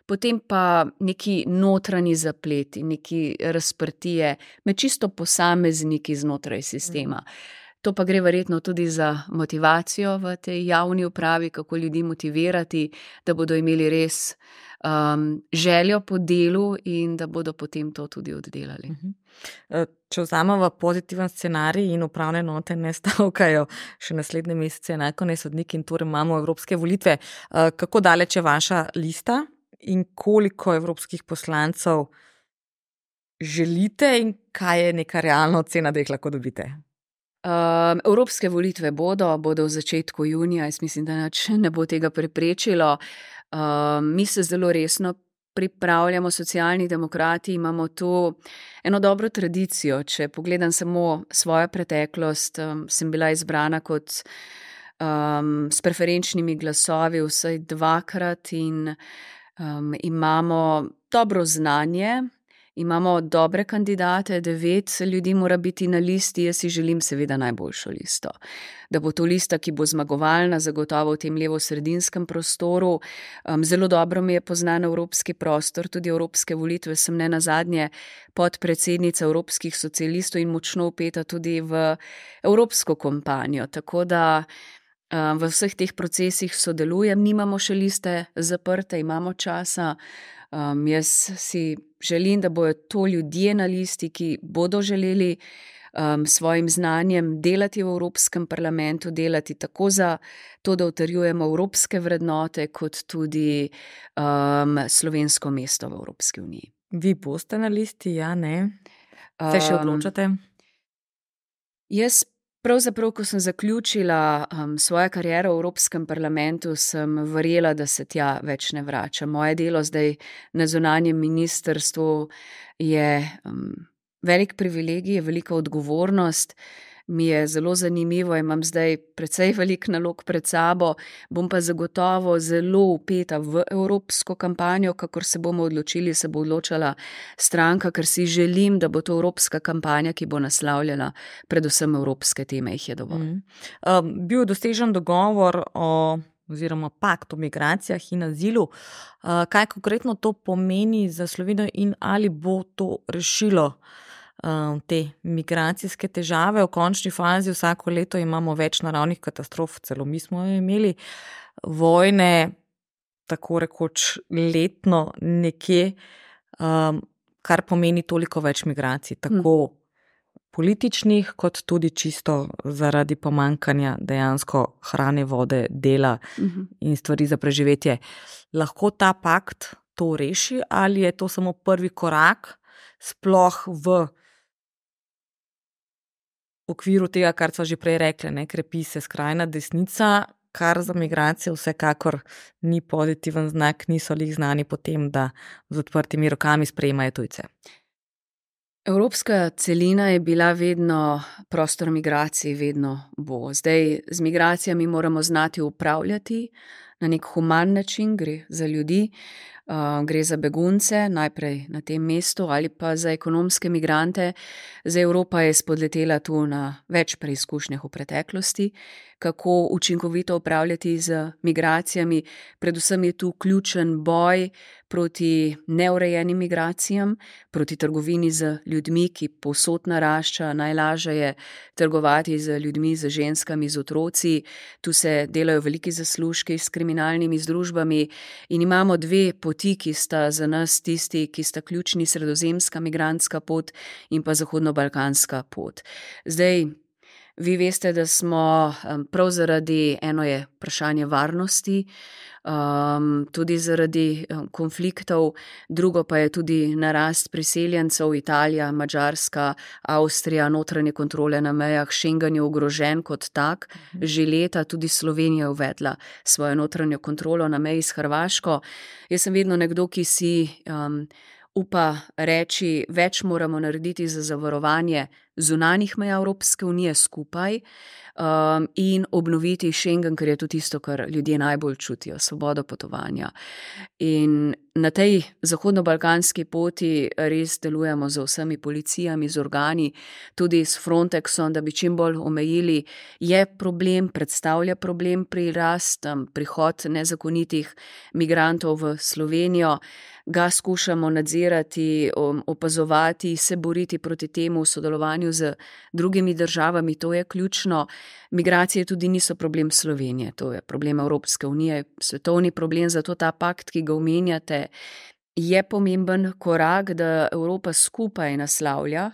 potem pa neki notranji zapleti, neki razprtije med čisto posamezniki znotraj sistema. To pa gre verjetno tudi za motivacijo v tej javni upravi, kako ljudi motivirati, da bodo imeli res um, željo po delu in da bodo potem to tudi oddelali. Uh-huh. Če vzamemo pozitiven scenarij in upravne enote ne stavkajo še naslednje mesece, enako ne sodniki in torej imamo evropske volitve, uh, kako daleč je vaša lista in koliko evropskih poslancev želite in kaj je neka realna ocena, da jih lahko dobite? Um, evropske volitve bodo, bodo v začetku junija, jaz mislim, da nič ne bo tega preprečilo. Um, mi se zelo resno pripravljamo, Socialni demokrati imamo tu eno dobro tradicijo. Če pogledam samo svojo preteklost, um, sem bila izbrana kot um, s preferenčnimi glasovi vsaj dvakrat in um, imamo dobro znanje. Imamo dobre kandidate, devet ljudi mora biti na listi, jaz si želim seveda najboljšo listo. Da bo to lista, ki bo zmagovalna, zagotovo v tem levo-sredinskem prostoru. Um, zelo dobro mi je poznan evropski prostor, tudi evropske volitve sem ne nazadnje podpredsednica evropskih socialistov in močno vpeta tudi v evropsko kampanjo. Tako da um, v vseh teh procesih sodelujem, nimamo še liste zaprte, imamo časa. Um, jaz si želim, da bojo to ljudje na listi, ki bodo želeli um, svojim znanjem delati v Evropskem parlamentu, delati tako za to, da utrjujemo evropske vrednote, kot tudi um, slovensko mesto v Evropski uniji. Vi boste na listi, ja, ne? Se še odločate? Um, jaz Pravzaprav, ko sem zaključila um, svojo kariero v Evropskem parlamentu, sem verjela, da se tja več ne vrača. Moje delo zdaj na zunanjem ministrstvu je um, velik privilegij, je velika odgovornost. Mi je zelo zanimivo, imam zdaj precej velik nalog pred sabo, bom pa zagotovo zelo vpeta v evropsko kampanjo, kakor se bomo odločili, se bo odločala stranka, ker si želim, da bo to evropska kampanja, ki bo naslavljala predvsem evropske teme, jih je dovolj. Mm. Um, bil je dosežen dogovor o oziroma pakt o migracijah in azilu. Uh, kaj konkretno to pomeni za Slovenijo in ali bo to rešilo te migracijske težave? V končni fazi vsako leto imamo več naravnih katastrof, celo mi smo imeli vojne, tako rekoč letno nekje, um, kar pomeni toliko več migracij, tako hmm. političnih, kot tudi čisto zaradi pomankanja dejansko hrane, vode, dela hmm. in stvari za preživetje. Lahko ta pakt to reši ali je to samo prvi korak sploh v V okviru tega, kar so že prej rekli, ne, krepi se skrajna desnica, kar za migracije vsekakor ni pozitiven znak, niso lih znani potem, da z odprtimi rokami sprejemajo tujce. Evropska celina je bila vedno prostor migracij, vedno bo. Zdaj z migracijami moramo znati upravljati na nek human način, gre za ljudi, uh, gre za begunce, najprej na tem mestu ali pa za ekonomske migrante. Zdaj Evropa je spodletela tu na več preizkušnjah v preteklosti, kako učinkovito upravljati z migracijami. Predvsem je tu ključen boj proti neurejenim migracijam, proti trgovini z ljudmi, ki povsod narašča. Najlažje je trgovati z ljudmi, z ženskami, z otroci. Tu se delajo veliki zaslužki s kriminalnimi združbami in imamo dve poti, ki sta za nas tisti, ki sta ključni, sredozemska migrantska pot in pa zahodno-balkanska pot. Zdaj, vi veste, da smo prav zaradi, eno je vprašanje varnosti, um, tudi zaradi konfliktov, drugo pa je tudi narast priseljencev, Italija, Madžarska, Avstrija, notranje kontrole na mejah, Schengen je ogrožen kot tak, že leta tudi Slovenija je uvedla svojo notranjo kontrolo na meji s Hrvaško. Jaz sem vedno nekdo, ki si um, upa reči, več moramo narediti za zavarovanje zunanjih meja Evropske unije skupaj um, in obnoviti Schengen, ker je to tisto, kar ljudje najbolj čutijo, svobodo potovanja. In na tej zahodno-balkanski poti res delujemo z vsemi policijami, z organi, tudi s Frontexom, da bi čim bolj omejili. Je problem, predstavlja problem prirast, prihod nezakonitih migrantov v Slovenijo. Ga skušamo nadzirati, opazovati, se boriti proti temu v sodelovanju sodelovanju z drugimi državami, to je ključno. Migracije tudi niso problem Slovenije, to je problem Evropske unije, svetovni problem, zato ta pakt, ki ga omenjate, je pomemben korak, da Evropa skupaj naslavlja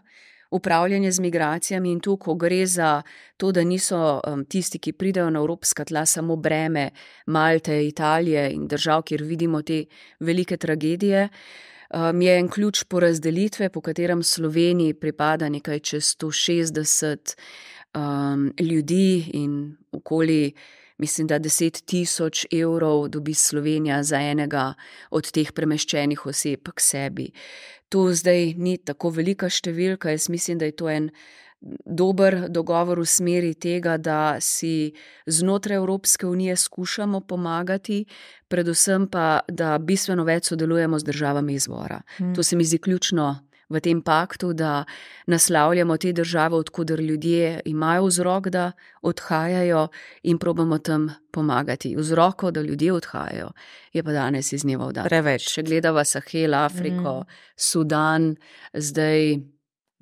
upravljanje z migracijami in tu, ko gre za to, da niso um, tisti, ki pridejo na evropska tla, samo breme Malte, Italije in držav, kjer vidimo te velike tragedije, um, je en ključ porazdelitve, po katerem Sloveniji pripada nekaj čez sto šestdeset um, ljudi in okoli, mislim, da deset tisoč evrov dobi Slovenija za enega od teh premeščenih oseb k sebi. To zdaj ni tako velika številka, jaz mislim, da je to en dober dogovor v smeri tega, da si znotraj Evropske unije skušamo pomagati, predvsem pa, da bistveno več sodelujemo z državami izvora. Hmm. To se mi zdi ključno v tem paktu, da naslavljamo te države, odkuder ljudje imajo vzrok, da odhajajo in probamo tam pomagati. Vzroko, da ljudje odhajajo, je pa danes iz dneva v dan. Preveč. Če gledava Sahel, Afriko, mm. Sudan, zdaj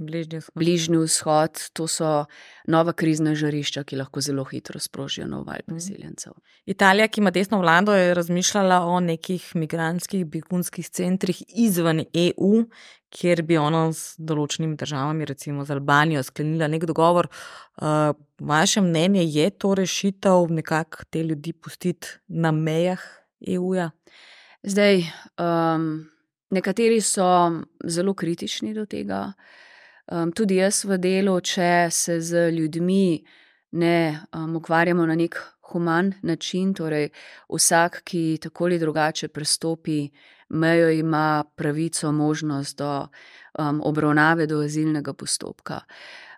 Bližnji vzhod. Bližnji vzhod, to so nova krizna žarišča, ki lahko zelo hitro sprožijo nov val priseljencev. Italija, ki ima desno vlado, je razmišljala o nekih migrantskih begunskih centrih izven E U, kjer bi ona z določenimi državami, recimo z Albanijo, sklenila nek dogovor. Uh, vaše mnenje, je to rešitev nekako te ljudi pustiti na mejah E U-ja? Zdaj, um, nekateri so zelo kritični do tega. Um, tudi jaz v delu, če se z ljudmi ne um, ukvarjamo na nek human način, torej vsak, ki tako ali drugače prestopi mejo, ima pravico, možnost do um, obravnave, do azilnega postopka.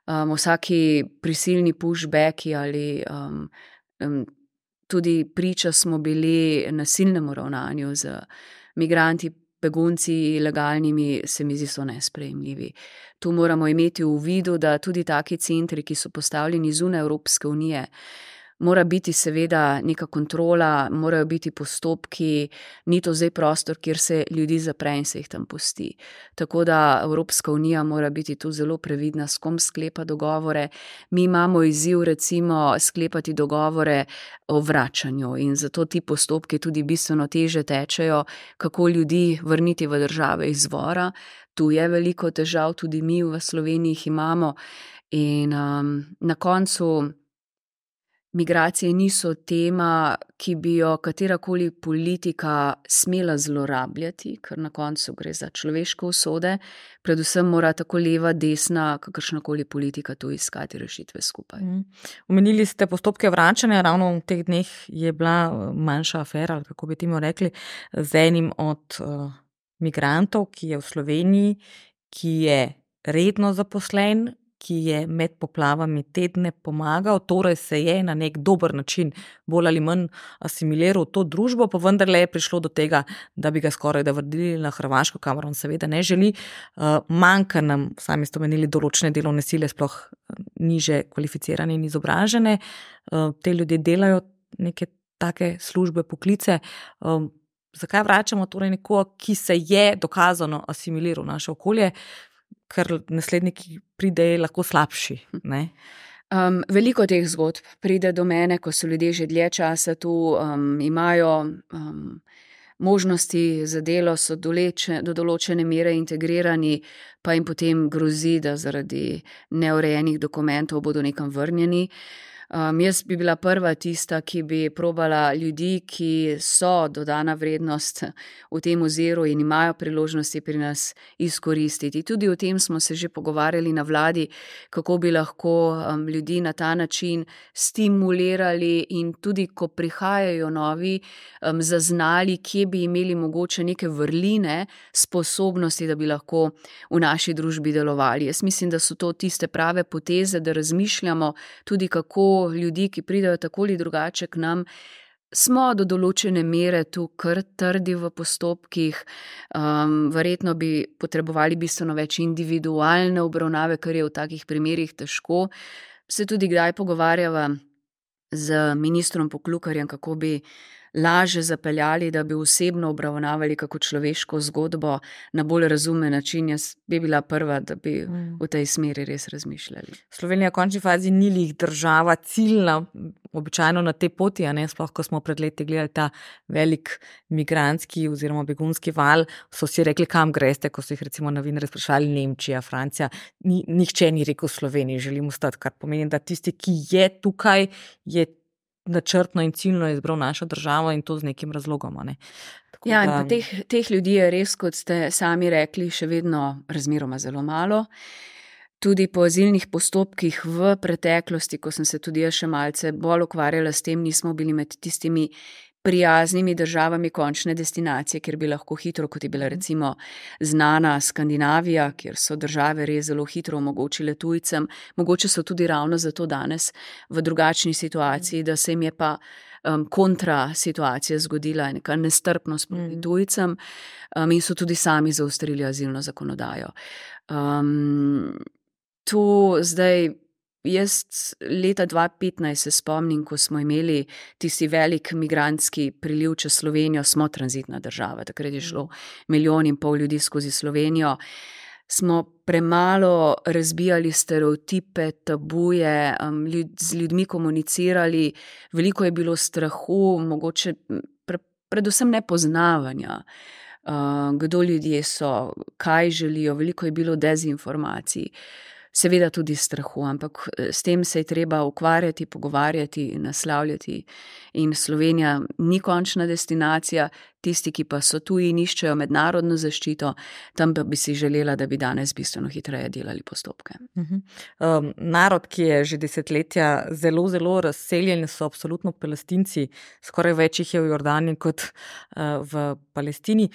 Um, vsaki prisilni pushbacki ali um, um, tudi priča smo bili nasilnemu ravnanju z migranti, begunci ilegalnimi, se mi zdi, so nesprejemljivi. Tu moramo imeti v vidu, da tudi taki centri, ki so postavljeni zunaj Evropske unije, mora biti seveda neka kontrola, morajo biti postopki, ni to zdaj prostor, kjer se ljudi zapre in se jih tam pusti. Tako da Evropska unija mora biti tu zelo previdna, s kom sklepa dogovore. Mi imamo izziv recimo sklepati dogovore o vračanju in zato ti postopki tudi bistveno teže tečejo, kako ljudi vrniti v države izvora. Tu je veliko težav, tudi mi v Sloveniji jih imamo in um, na koncu migracije niso tema, ki bi jo katerakoli politika smela zlorabljati, ker na koncu gre za človeške usode, predvsem mora tako leva, desna, kakršnakoli politika tu iskati rešitve skupaj. Mm. Omenili ste postopke vračanja, ravno v teh dneh je bila manjša afera, ali kako bi temu rekli, z enim od uh, migrantov, ki je v Sloveniji, ki je redno zaposlen, ki je med poplavami tedne pomagal, torej se je na nek dober način bolj ali manj asimiliral to družbo, pa vendarle je prišlo do tega, da bi ga skoraj da vrnili na Hrvaško, kamor on seveda ne želi. Uh, manjka nam, sami ste omenili, določene delovne sile, sploh niže kvalificirane in izobražene. Uh, te ljudje delajo neke take službe, poklice. Uh, zakaj vračamo torej nekoga, ki se je dokazano asimiliral v naše okolje, ker nasledniki pridejo lahko slabši, ne? Um, veliko teh zgodb pride do mene, ko so ljudje že dlje časa tu, um, imajo um, možnosti za delo, so doleče, do določene mere integrirani, pa jim potem grozi, da zaradi neurejenih dokumentov bodo nekam vrnjeni. Um, jaz bi bila prva tista, ki bi probala ljudi, ki so dodana vrednost v tem oziru in imajo priložnosti pri nas izkoristiti. Tudi o tem smo se že pogovarjali na vladi, kako bi lahko um, ljudi na ta način stimulirali in tudi, ko prihajajo novi, um, zaznali, kje bi imeli mogoče neke vrline, sposobnosti, da bi lahko v naši družbi delovali. Jaz mislim, da so to tiste prave poteze, da razmišljamo tudi, kako ljudi, ki pridejo tako ali drugače k nam, smo do določene mere tu kar trdi v postopkih, um, verjetno bi potrebovali bistveno več individualne obravnave, kar je v takih primerih težko. Se tudi kdaj pogovarjava z ministrom Poklukarjem, kako bi laže zapeljali, da bi osebno obravnavali kako človeško zgodbo na bolj razumen način. Jaz bi bila prva, da bi mm. v tej smeri res razmišljali. Slovenija v končni fazi ni lih država ciljna, običajno na te poti, a ne, sploh ko smo pred leti gledali ta velik migrantski oziroma begunski val, so si rekli, kam greste, ko so jih recimo novinarji sprašvali, Nemčija, Francija, ni, nihče ni rekel Sloveniji, želim ostati, kar pomeni, da tisti, ki je tukaj, je načrtno in ciljno izbral našo državo in to z nekim razlogom. Ne. Tako ja, da... in pa teh, teh ljudi je res, kot ste sami rekli, še vedno razmeroma zelo malo. Tudi po azilnih postopkih v preteklosti, ko sem se tudi jaz še malce bolj ukvarjala s tem, nismo bili med tistimi prijaznimi državami končne destinacije, kjer bi lahko hitro, kot je bila recimo znana Skandinavija, kjer so države res zelo hitro omogočile tujcem. Mogoče so tudi ravno zato danes v drugačni situaciji, da se jim je pa um, kontra situacija zgodila, neka nestrpnost proti tujcem um, in so tudi sami zaostrili azilno zakonodajo. Um, to zdaj... Jaz leta dva petnajst se spomnim, ko smo imeli tisti velik migrantski priliv čez Slovenijo, smo tranzitna država, takrat je šlo milijon in pol ljudi skozi Slovenijo, smo premalo razbijali stereotipe, tabuje, um, ljud, z ljudmi komunicirali, veliko je bilo strahu, mogoče pre, predvsem nepoznavanja, uh, kdo ljudje so, kaj želijo, veliko je bilo dezinformacij. Seveda tudi strahu, ampak s tem se je treba ukvarjati, pogovarjati, naslavljati in Slovenija ni končna destinacija, tisti, ki pa so tuji in iščejo mednarodno zaščito, tam pa bi si želela, da bi danes bistveno hitreje delali postopke. Uh-huh. Um, narod, ki je že desetletja zelo, zelo razseljen, so absolutno Palestinci, skoraj več jih je v Jordaniji kot uh, v Palestini.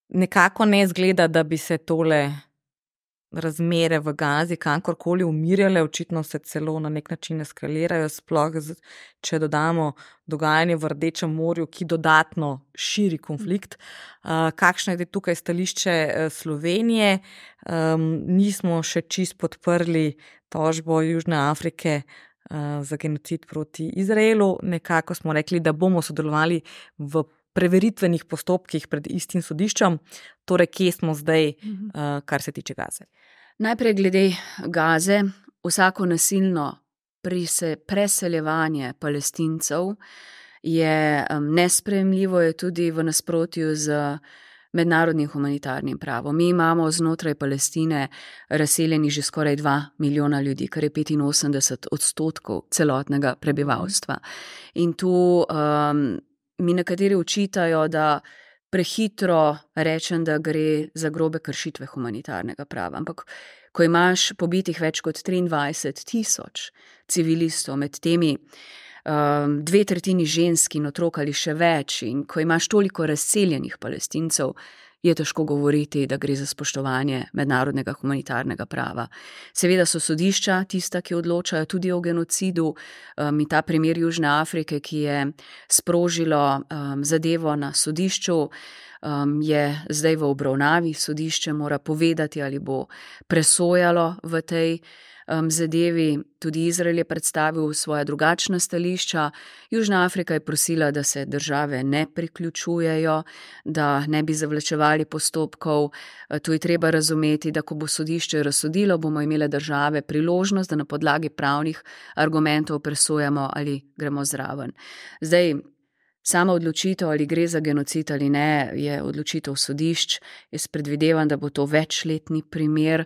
Nekako ne zgleda, da bi se tole razmere v Gazi kankorkoli umirjale, očitno se celo na nek način eskalirajo, sploh če dodamo dogajanje v Rdečem morju, ki dodatno širi konflikt. Uh, kakšno je tukaj stališče Slovenije? Um, nismo še čist podprli tožbo Južne Afrike uh, za genocid proti Izraelu. Nekako smo rekli, da bomo sodelovali v preveritvenih postopkih pred istim sodiščem, torej kje smo zdaj, uh, kar se tiče Gaze. Najprej glede Gaze, vsako nasilno prise, preseljevanje Palestincev je um, nesprejemljivo, je tudi v nasprotju z mednarodnim humanitarnim pravom. Mi imamo znotraj Palestine razseljeni že skoraj dva milijona ljudi, kar je petinosemdeset odstotkov celotnega prebivalstva. In tu um, mi nekateri učitajo, da prehitro rečem, da gre za grobe kršitve humanitarnega prava. Ampak, ko imaš pobitih več kot triindvajset tisoč civilistov, med temi um, dve tretjini žensk in otrok ali še več, in ko imaš toliko razseljenih Palestincev, je težko govoriti, da gre za spoštovanje mednarodnega humanitarnega prava. Seveda so sodišča tista, ki odločajo tudi o genocidu, um, in ta primer Južne Afrike, ki je sprožilo um, zadevo na sodišču, um, je zdaj v obravnavi. Sodišče mora povedati, ali bo presojalo v tej um, zadevi. Tudi Izrael je predstavil svoja drugačna stališča. Južna Afrika je prosila, da se države ne priključujejo, da ne bi zavlačevali postopkov. To je treba razumeti, da ko bo sodišče razsodilo, bomo imele države priložnost, da na podlagi pravnih argumentov presojamo, ali gremo zraven. Zdaj, sama odločitev, ali gre za genocid ali ne, je odločitev sodišč. Jaz predvidevam, da bo to večletni primer.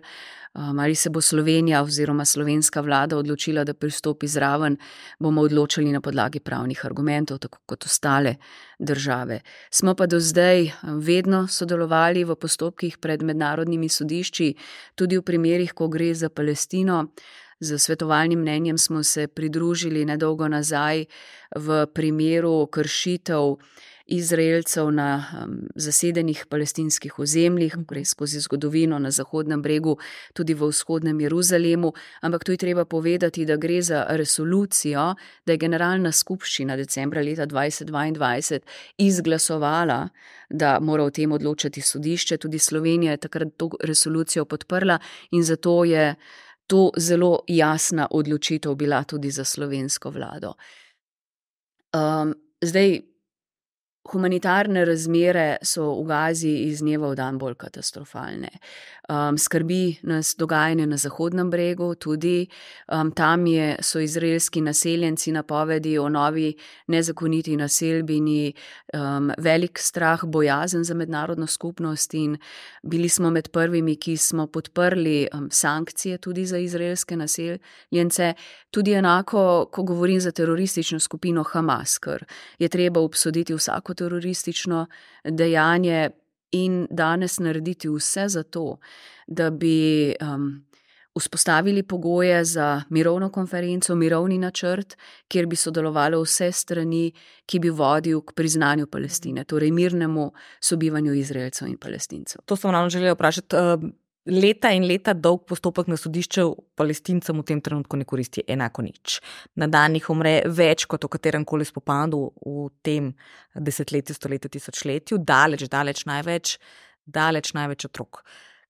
Um, ali se bo Slovenija oziroma slovenska vlada odločila, da pristopi zraven, bomo odločili na podlagi pravnih argumentov, tako kot ostale države. Smo pa do zdaj vedno sodelovali v postopkih pred mednarodnimi sodišči, tudi v primerih, ko gre za Palestino. Z svetovalnim mnenjem smo se pridružili nedolgo nazaj v primeru kršitev Izraelcev na um, zasedenih palestinskih ozemljih, gre skozi zgodovino na Zahodnem bregu, tudi v vzhodnem Jeruzalemu, ampak tu je treba povedati, da gre za resolucijo, da je Generalna skupščina decembra leta dvajset dvaindvajset izglasovala, da mora o tem odločati sodišče. Tudi Slovenija je takrat to resolucijo podprla in zato je to zelo jasna odločitev bila tudi za slovensko vlado. Um, zdaj, Humanitarne razmere so v Gazi iz dneva v dan bolj katastrofalne. Um, skrbi nas dogajanje na Zahodnem bregu, tudi um, tam je, so izraelski naseljenci napovedi o novi nezakoniti naselbini, um, velik strah, bojazen za mednarodno skupnost in bili smo med prvimi, ki smo podprli um, sankcije tudi za izraelske naseljence, tudi enako, ko govorim za teroristično skupino Hamas, ker je treba obsoditi vsako teroristično dejanje in danes narediti vse za to, da bi um, vzpostavili pogoje za mirovno konferenco, mirovni načrt, kjer bi sodelovalo vse strani, ki bi vodil k priznanju Palestine, torej mirnemu sobivanju Izraelcev in Palestincev. To sem ravno želela vprašati. Leta in leta dolg postopek na sodišču Palestincem v tem trenutku ne koristi enako nič. Na dan jih umre več kot v katerem koli spopadu v tem desetletju, stoletju, tisočletju, daleč, daleč največ, daleč največ otrok.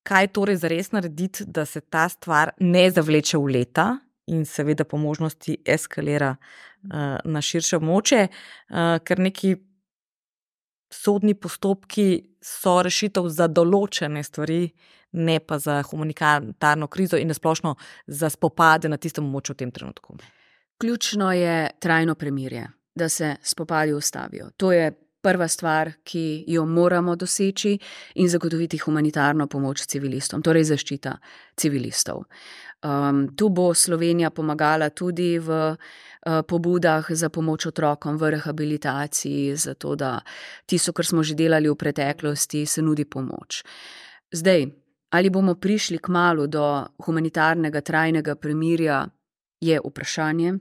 Kaj torej zares narediti, da se ta stvar ne zavleče v leta in seveda po možnosti eskalira uh, na širše območje, uh, ker neki sodni postopki so rešitev za določene stvari, ne pa za humanitarno krizo in nasplošno za spopade na tistem območju v tem trenutku. Ključno je trajno premirje, da se spopadi ustavijo. To je prva stvar, ki jo moramo doseči in zagotoviti humanitarno pomoč civilistom, torej zaščita civilistov. Um, tu bo Slovenija pomagala tudi v uh, pobudah za pomoč otrokom v rehabilitaciji, zato da tisto, kar smo že delali v preteklosti, se nudi pomoč. Zdaj, ali bomo prišli kmalu do humanitarnega trajnega premirja, je vprašanje,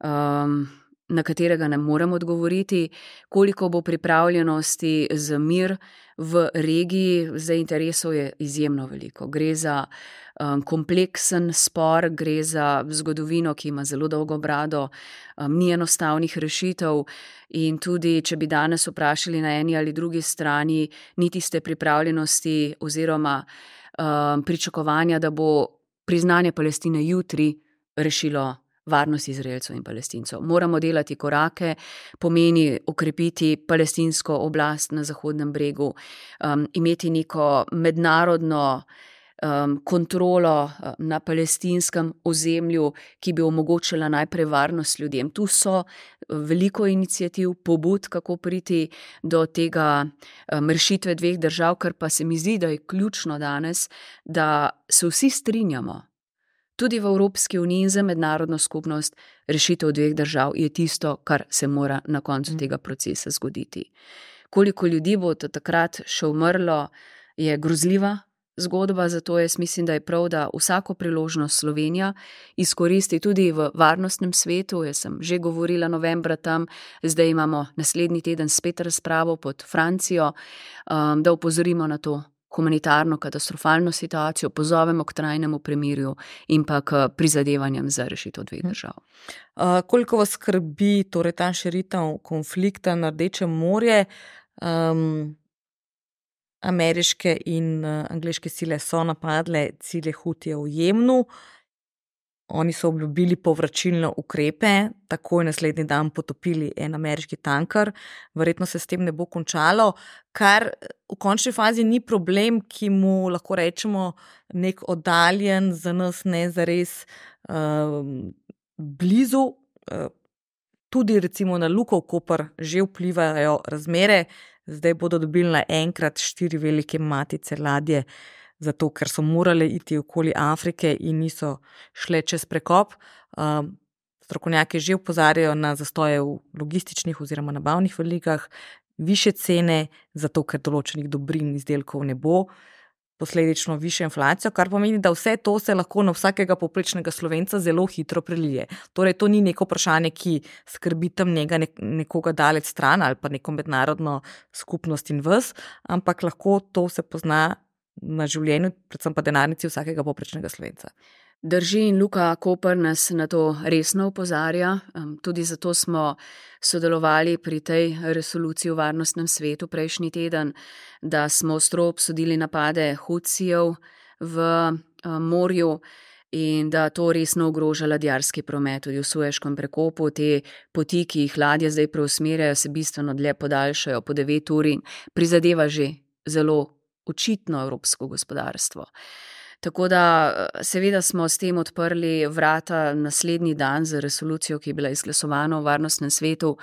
um, na katerega ne morem odgovoriti. Koliko bo pripravljenosti za mir v regiji, za interesov je izjemno veliko. Gre za um, kompleksen spor, gre za zgodovino, ki ima zelo dolgo brado, um, ni enostavnih rešitev in tudi, če bi danes vprašali na eni ali drugi strani, ni tiste pripravljenosti oziroma um, pričakovanja, da bo priznanje Palestine jutri rešilo varnost Izraelcev in Palestincev. Moramo delati korake, pomeni okrepiti palestinsko oblast na Zahodnem bregu, um, imeti neko mednarodno um, kontrolo na palestinskem ozemlju, ki bi omogočila najprej varnost ljudem. Tu so veliko iniciativ, pobud, kako priti do tega um, rešitve dveh držav, kar pa se mi zdi, da je ključno danes, da se vsi strinjamo. Tudi v Evropski uniji in za mednarodno skupnost rešitev dveh držav je tisto, kar se mora na koncu tega procesa zgoditi. Koliko ljudi bo takrat še umrlo, je grozljiva zgodba, zato jaz mislim, da je prav, da vsako priložnost Slovenija izkoristi tudi v varnostnem svetu. Jaz sem že govorila novembra tam, zdaj imamo naslednji teden spet razpravo pod Francijo, um, da opozorimo na to humanitarno katastrofalno situacijo, pozovemo k trajnemu premirju in pa k prizadevanjem za rešitev dveh držav. Uh, koliko vas skrbi torej ta širitev konflikta na Rdečem morje? Um, ameriške in uh, angleške sile so napadle cilje Hutijev v Jemnu. Oni so obljubili povračilne ukrepe, takoj naslednji dan potopili en ameriški tanker, verjetno se s tem ne bo končalo, kar v končni fazi ni problem, ki mu lahko rečemo nek oddaljen, za nas ne zares uh, blizu. Uh, tudi recimo na Luko Koper že vplivajo razmere, zdaj bodo dobili naenkrat štiri velike matice ladje, zato ker so morali iti okoli Afrike in niso šle čez prekop. Um, strokovnjaki že opozarjajo na zastoje v logističnih oziroma nabavnih verigah, više cene, zato ker določenih dobrin izdelkov ne bo, posledično višjo inflacijo, kar pomeni, da vse to se lahko na vsakega povprečnega Slovenca zelo hitro prelije. Torej, to ni neko vprašanje, ki skrbi tam njega nekoga daleč stran ali pa neko mednarodno skupnost in vas, ampak lahko to se pozna na življenju, predvsem pa denarnici vsakega povprečnega Slovenca. Drži in Luka Koper nas na to resno opozarja. Tudi zato smo sodelovali pri tej resoluciji v varnostnem svetu prejšnji teden, da smo ostro obsodili napade Hutijev v morju in da to resno ogroža ladjarski promet tudi v Sueškem prekopu. Te poti, ki jih ladje zdaj preusmerjajo, se bistveno dlje podaljšajo po devet ur in prizadeva že zelo očitno evropsko gospodarstvo. Tako da seveda smo s tem odprli vrata naslednji dan za resolucijo, ki je bila izglasovana v Varnostnem svetu,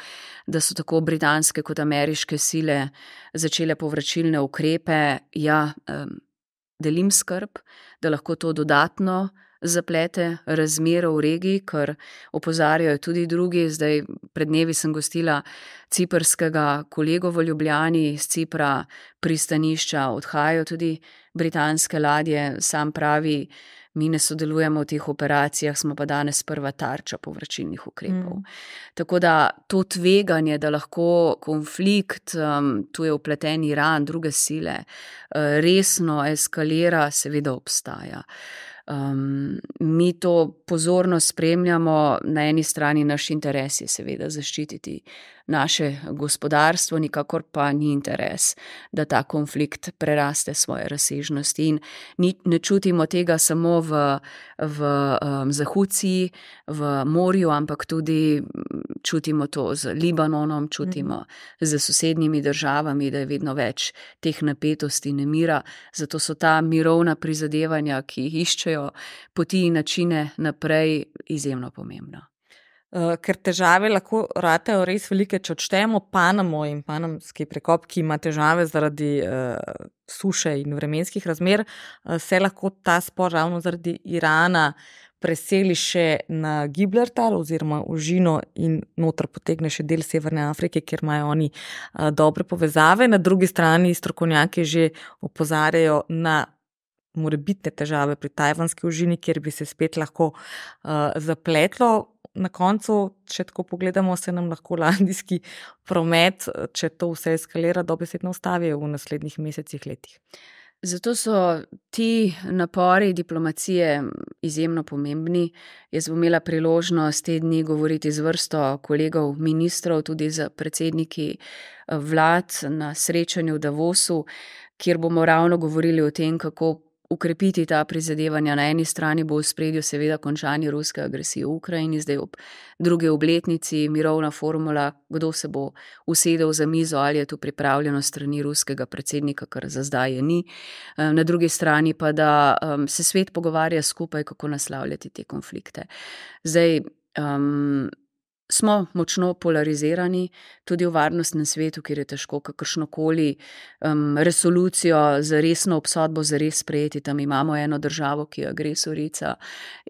da so tako britanske kot ameriške sile začele povračilne ukrepe. Ja, delim skrb, da lahko to dodatno zaplete razmero v regiji, ker opozarjajo tudi drugi. Zdaj pred dnevi sem gostila ciprskega kolego v Ljubljani, iz Cipra pristanišča odhajajo tudi britanske ladje. Sam pravi, mi ne sodelujemo v teh operacijah, smo pa danes prva tarča povračilnih ukrepov. Mm. Tako da to tveganje, da lahko konflikt, um, tu je vpleten Iran, druge sile, uh, resno eskalira, seveda obstaja. Um, mi to pozorno spremljamo, na eni strani naš interes je seveda zaščititi naše gospodarstvo, nikakor pa ni interes, da ta konflikt preraste svoje razsežnosti in ni, ne čutimo tega samo v, v um, Zahúcii, v morju, ampak tudi čutimo to z Libanonom, čutimo mm. z sosednjimi državami, da je vedno več teh napetosti, nemira, zato so ta mirovna prizadevanja, ki jih iščejo poti in načine naprej, izjemno pomembna. Uh, ker težave lahko ratejo res velike, če odštejemo Panamo in panamski prekop, ki ima težave zaradi uh, suše in vremenskih razmer, uh, se lahko ta spor ravno zaradi Irana preseli še na Gibraltar oziroma Užino in noter potegne še del Severne Afrike, kjer imajo oni uh, dobre povezave. Na drugi strani strokovnjaki že opozarjajo na morebitne težave pri tajvanski Užini, kjer bi se spet lahko uh, zapletlo. Na koncu, če tako pogledamo, se nam lahko ladijski promet, če to vse eskalira, dobesedno ustavi v naslednjih mesecih, letih. Zato so ti napori diplomacije izjemno pomembni. Jaz bom imela priložnost te dni govoriti z vrsto kolegov, ministrov, tudi z predsedniki vlad na srečanju v Davosu, kjer bomo ravno govorili o tem, kako ukrepiti ta prizadevanja. Na eni strani bo v spredju seveda končanje ruske agresije v Ukrajini, zdaj ob drugi obletnici mirovna formula, kdo se bo usedel za mizo, ali je tu pripravljeno strani ruskega predsednika, kar za zdaj je ni. Na drugi strani pa, da um, se svet pogovarja skupaj, kako naslavljati te konflikte. Zdaj, um, smo močno polarizirani, tudi v Varnostnem svetu, kjer je težko kakršnokoli um, resolucijo za resno obsodbo za res sprejeti. Tam imamo eno državo, ki je agresorica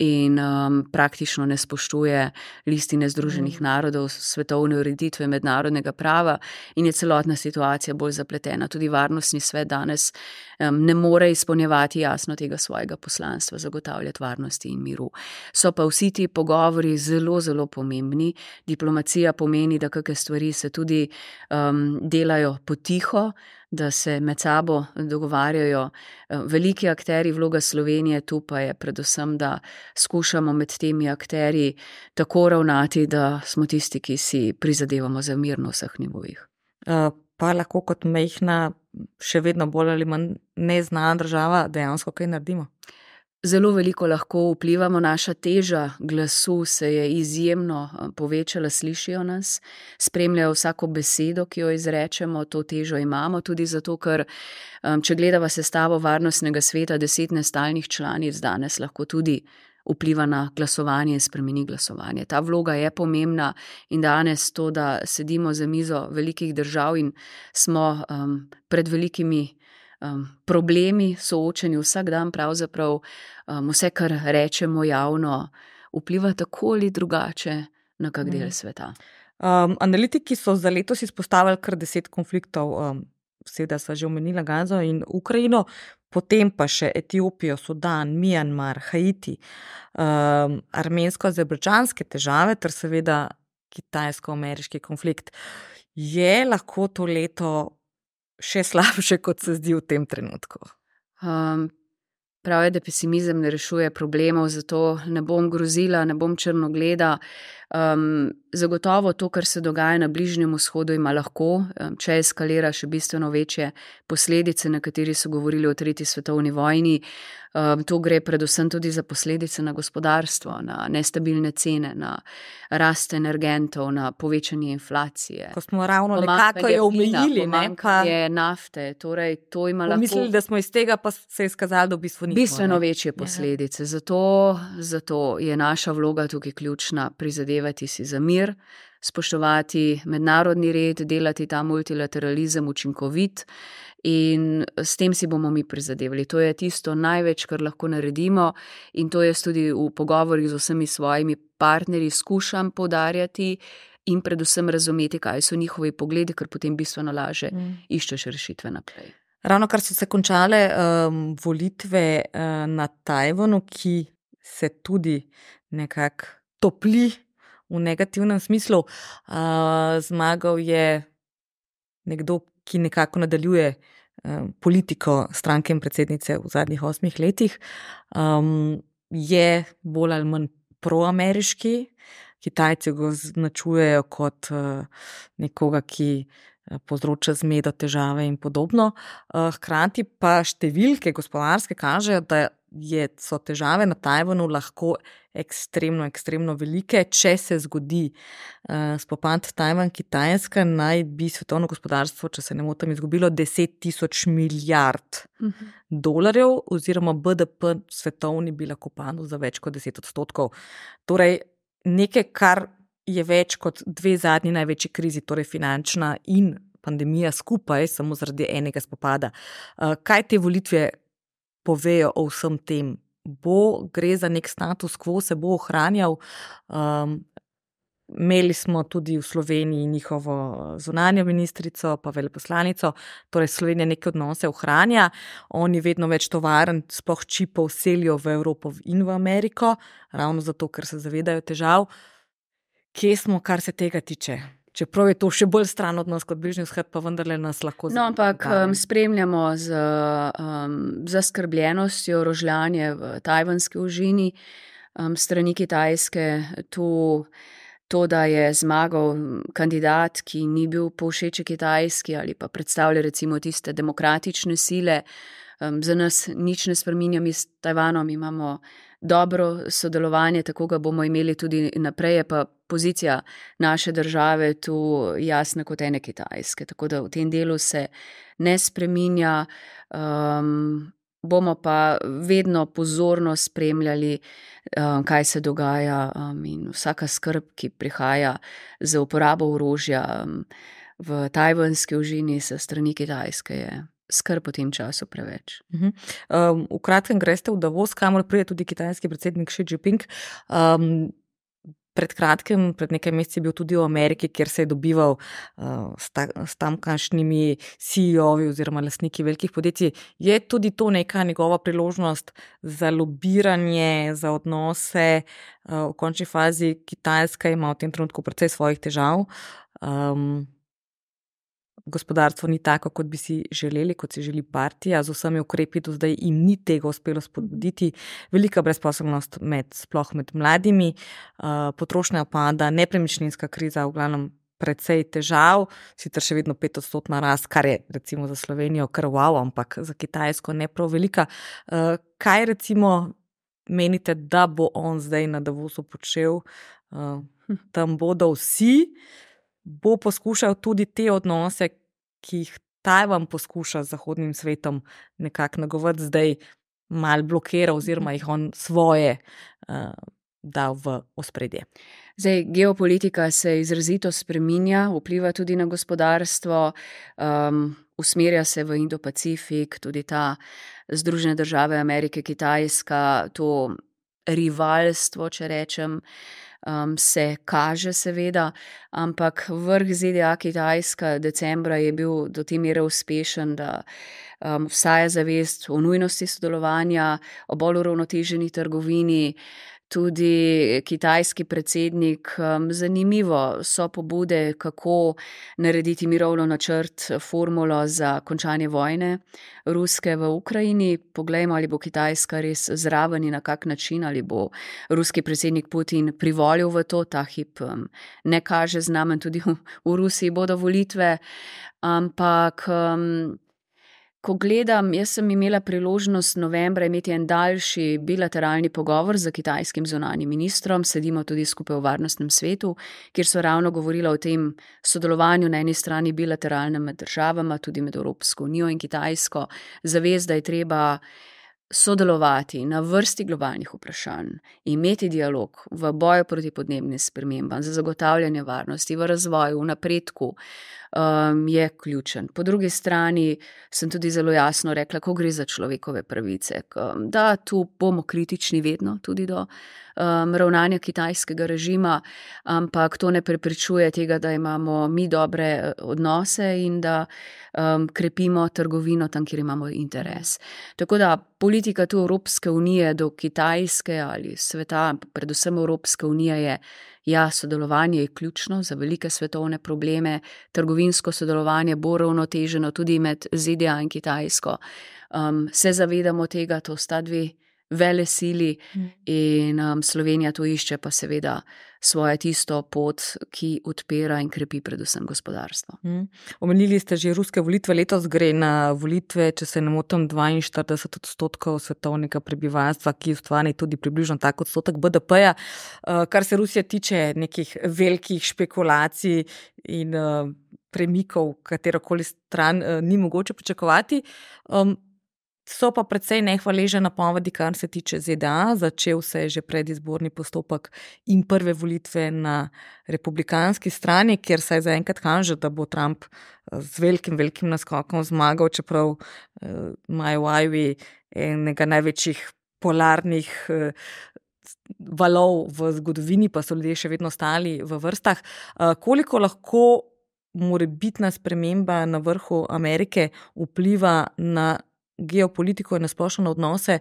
in um, praktično ne spoštuje listine Združenih mm. narodov, svetovne ureditve mednarodnega prava in je celotna situacija bolj zapletena. Tudi Varnostni svet danes um, ne more izpolnjevati jasno tega svojega poslanstva, zagotavljati varnosti in miru. So pa vsi ti pogovori zelo, zelo pomembni. Diplomacija pomeni, da kakšne stvari se tudi um, delajo potiho, da se med sabo dogovarjajo veliki akteri. Vloga Slovenije tu pa je predvsem, da skušamo med temi akteri tako ravnati, da smo tisti, ki si prizadevamo za mir na vseh nivojih. Uh, pa lahko kot majhna, še vedno bolj ali manj neznana država dejansko kaj naredimo? Zelo veliko lahko vplivamo, naša teža glasu se je izjemno povečala, slišijo nas, spremljajo vsako besedo, ki jo izrečemo, to težo imamo tudi zato, ker če gledava sestavo Varnostnega sveta, deset nestalnih članic danes lahko tudi vpliva na glasovanje in spremeni glasovanje. Ta vloga je pomembna in danes to, da sedimo za mizo velikih držav in smo um, pred velikimi Um, problemi, soočeni vsak dan, pravzaprav um, vse, kar rečemo javno, vpliva tako ali drugače na kak del sveta. Um, analitiki so za letos izpostavili kar deset konfliktov, um, seveda sva že omenila Gazo in Ukrajino, potem pa še Etiopijo, Sudan, Mjanmar, Haiti, um, armensko-azerbajdžanske težave ter seveda kitajsko-ameriški konflikt. Je lahko to leto še slabše, kot se zdi v tem trenutku? Um, pravi, da pesimizem ne rešuje problemov, zato ne bom grozila, ne bom črnogleda. Um, zagotovo to, kar se dogaja na Bližnjem vzhodu, ima lahko, um, če eskalira, še bistveno večje posledice, na kateri so govorili o tretji svetovni vojni. Um, to gre predvsem tudi za posledice na gospodarstvo, na nestabilne cene, na rast energentov, na povečanje inflacije. Ko smo ravno nekako jo omejili, pomanjkanje nafte, torej to ima lahko... Mislili, da smo iz tega, pa se je skazalo, da v bistvu nismo. Bistveno večje posledice. Zato, zato je naša vloga tukaj ključna, prizadevati si za mir, spoštovati mednarodni red, delati ta multilateralizem učinkovit in s tem si bomo mi prizadevali. To je tisto največ, kar lahko naredimo in to jaz tudi v pogovorih z vsemi svojimi partnerji skušam poudarjati in predvsem razumeti, kaj so njihovi pogledi, ker potem bistveno laže mm. iščeš rešitve naprej. Ravno kar so se končale um, volitve uh, na Tajvanu, ki se tudi nekako topli v negativnem smislu. Uh, zmagal je nekdo, ki nekako nadaljuje uh, politiko stranke in predsednice v zadnjih osmih letih. Um, je bolj ali manj proameriški. Kitajci ga označujejo kot uh, nekoga, ki povzroča zmedo, težave in podobno. Hkrati pa številke gospodarske kažejo, da je, so težave na Tajvanu lahko ekstremno, ekstremno velike. Če se zgodi uh, spopad Tajvan-Kitajska, naj bi svetovno gospodarstvo, če se ne motim, izgubilo deset tisoč milijard uh-huh. dolarjev, oziroma B D P svetovni bi lahko padel za več kot deset odstotkov. Torej, nekaj, kar je več kot dve zadnji največji krizi, torej finančna in pandemija skupaj, samo zaradi enega spopada. Kaj te volitve povejo o vsem tem? Bo, gre za nek status quo, se bo ohranjal? Um, imeli smo tudi v Sloveniji njihovo zunanjo ministrico, pa veleposlanico, torej Slovenija neke odnose ohranja, oni vedno več tovarn, sploh čipov selijo v Evropo in v Ameriko, ravno zato, ker se zavedajo težav. Kje smo, kar se tega tiče? Čeprav je to še bolj stran od nas kot Bližnji vzhod, pa vendarle nas lahko No, ampak um, spremljamo z um, zaskrbljenostjo rožljanje v tajvanski ožini um, strani Kitajske. To, to, da je zmagal kandidat, ki ni bil povšeči Kitajski ali pa predstavlja recimo tiste demokratične sile, um, za nas nič ne spreminja. Mi s Tajvanom imamo dobro sodelovanje, tako ga bomo imeli tudi naprej, je pa pozicija naše države tu jasna kot ene Kitajske, tako da v tem delu se ne spreminja, um, bomo pa vedno pozorno spremljali, um, kaj se dogaja um, in vsaka skrb, ki prihaja za uporabo orožja um, v tajvanski ožini sa strani Kitajske je skrb v tem času preveč. Uh-huh. Um, v kratkem greste v Davos, kamor pride tudi kitajski predsednik Xi Jinping. Um, pred kratkem, pred nekaj meseci je bil tudi v Ameriki, kjer se je dobival uh, s, ta, s tamkajšnjimi C E O-vi oziroma lastniki velikih podjetij. Je tudi to neka njegova priložnost za lobiranje, za odnose? Uh, v končni fazi Kitajska ima v tem trenutku precej svojih težav. Um, Gospodarstvo ni tako, kot bi si želeli, kot si želi partija, z vsemi ukrepi do zdaj jim ni tega uspelo spodbuditi. Velika brezposelnost med, sploh med mladimi, uh, potrošnja pada, nepremičninska kriza, v glavnem precej težav, sicer še vedno petodstotna rast, kar je recimo za Slovenijo kar wow, ampak za Kitajsko ne prav velika. Uh, kaj recimo menite, da bo on zdaj na Davosu počel? Uh, tam bodo vsi. Bo poskušal tudi te odnose, ki jih Tajvan poskuša z zahodnim svetom nekako nagovati, zdaj mal blokira oziroma jih on svoje uh, dal v ospredje. Zdaj, geopolitika se izrazito spreminja, vpliva tudi na gospodarstvo, um, usmerja se v Indo-Pacifik, tudi ta Združene države Amerike, Kitajska, to rivalstvo, če rečem, Um, se kaže seveda, ampak vrh Z D A Kitajska decembra je bil do te mere uspešen, da um, vsaja zavest o nujnosti sodelovanja, o bolj uravnoteženi trgovini. tudi kitajski predsednik. Zanimivo so pobude, kako narediti mirovno načrt, formulo za končanje vojne ruske v Ukrajini. Poglejmo, ali bo Kitajska res zraven in na kak način, ali bo ruski predsednik Putin privolil v to. Ta hip ne kaže znamen, tudi v, v Rusiji bodo volitve, ampak ko gledam, jaz sem imela priložnost novembra imeti en daljši bilateralni pogovor z kitajskim zunanjim ministrom, sedimo tudi skupaj v Varnostnem svetu, kjer so ravno govorila o tem sodelovanju na eni strani bilateralnem med državama, tudi med Evropsko unijo in Kitajsko, zavez, da je treba sodelovati na vrsti globalnih vprašanj, imeti dialog v boju proti podnebnim spremembam, za zagotavljanje varnosti, v razvoju, v napredku, um, je ključen. Po drugi strani sem tudi zelo jasno rekla, ko gre za človekove pravice, da tu bomo kritični vedno tudi do um, ravnanja kitajskega režima, ampak to ne preprečuje tega, da imamo mi dobre odnose in da um, krepimo trgovino tam, kjer imamo interes. Tako da politika tu Evropske unije do Kitajske ali sveta, predvsem Evropske unije je, ja, sodelovanje je ključno za velike svetovne probleme, trgovinsko sodelovanje bo ravnoteženo tudi med Z D A in Kitajsko. Um, se zavedamo tega, to sta dve vele sili in um, Slovenija tu išče pa seveda svoje tisto pot, ki odpira in krepi predvsem gospodarstvo. Mm. Omenili ste že ruske volitve, letos gre na volitve, če se ne motim, dvainštirideset odstotkov svetovnega prebivalstva, ki ustvari tudi približno tak odstotek B D P-ja. Uh, kar se Rusije tiče nekih velikih špekulacij in uh, premikov, katerokoli stran uh, ni mogoče pričakovati. Um, So pa precej nehvaležne napovedi, kar se tiče Z D A. Začel se je že predizborni postopek in prve volitve na republikanski strani, kjer se je zaenkrat kaže, da bo Trump z velikim, velikim naskokom zmagal, čeprav imajo uh, v Iowi enega največjih polarnih uh, valov v zgodovini, pa so ljudje še vedno stali v vrstah. Uh, koliko lahko morebitna sprememba na vrhu Amerike vpliva na geopolitiko in nasplošno odnose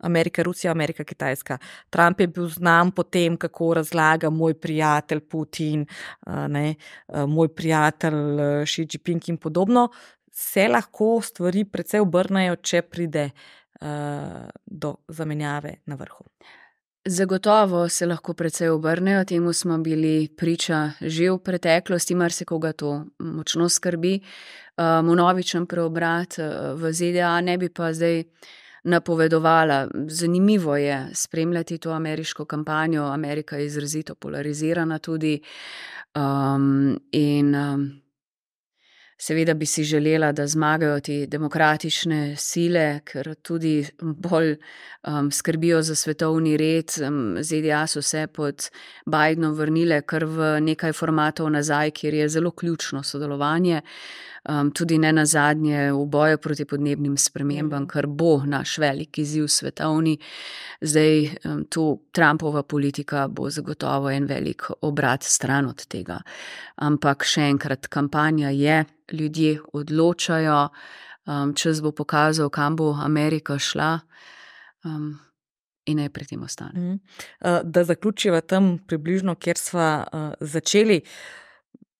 Amerika-Rusija, Amerika-Kitajska. Trump je bil znan po tem, kako razlaga moj prijatelj Putin, ne, moj prijatelj Xi Jinping in podobno. Se lahko stvari precej obrnejo, če pride uh, do zamenjave na vrhu. Zagotovo se lahko precej obrnejo, temu smo bili priča že v preteklosti, marsikoga to močno skrbi. Um, vnovičen preobrat v Z D A ne bi pa zdaj napovedovala. Zanimivo je spremljati to ameriško kampanjo, Amerika je izrazito polarizirana tudi um, in um, seveda bi si želela, da zmagajo te demokratične sile, ker tudi bolj um, skrbijo za svetovni red. Um, Z D A so se pod Bidenom vrnile kar v nekaj formatov nazaj, kjer je zelo ključno sodelovanje, um, tudi ne nazadnje v boju proti podnebnim spremembam, kar bo naš velik izziv svetovni. Zdaj um, tu Trumpova politika bo zagotovo en velik obrat stran od tega. Ampak še enkrat, kampanja je, ljudje odločajo, um, čas bo pokazal, kam bo Amerika šla um, in naj pri tem ostane. Mm. Uh, da zaključiva tam približno, kjer sva uh, začeli.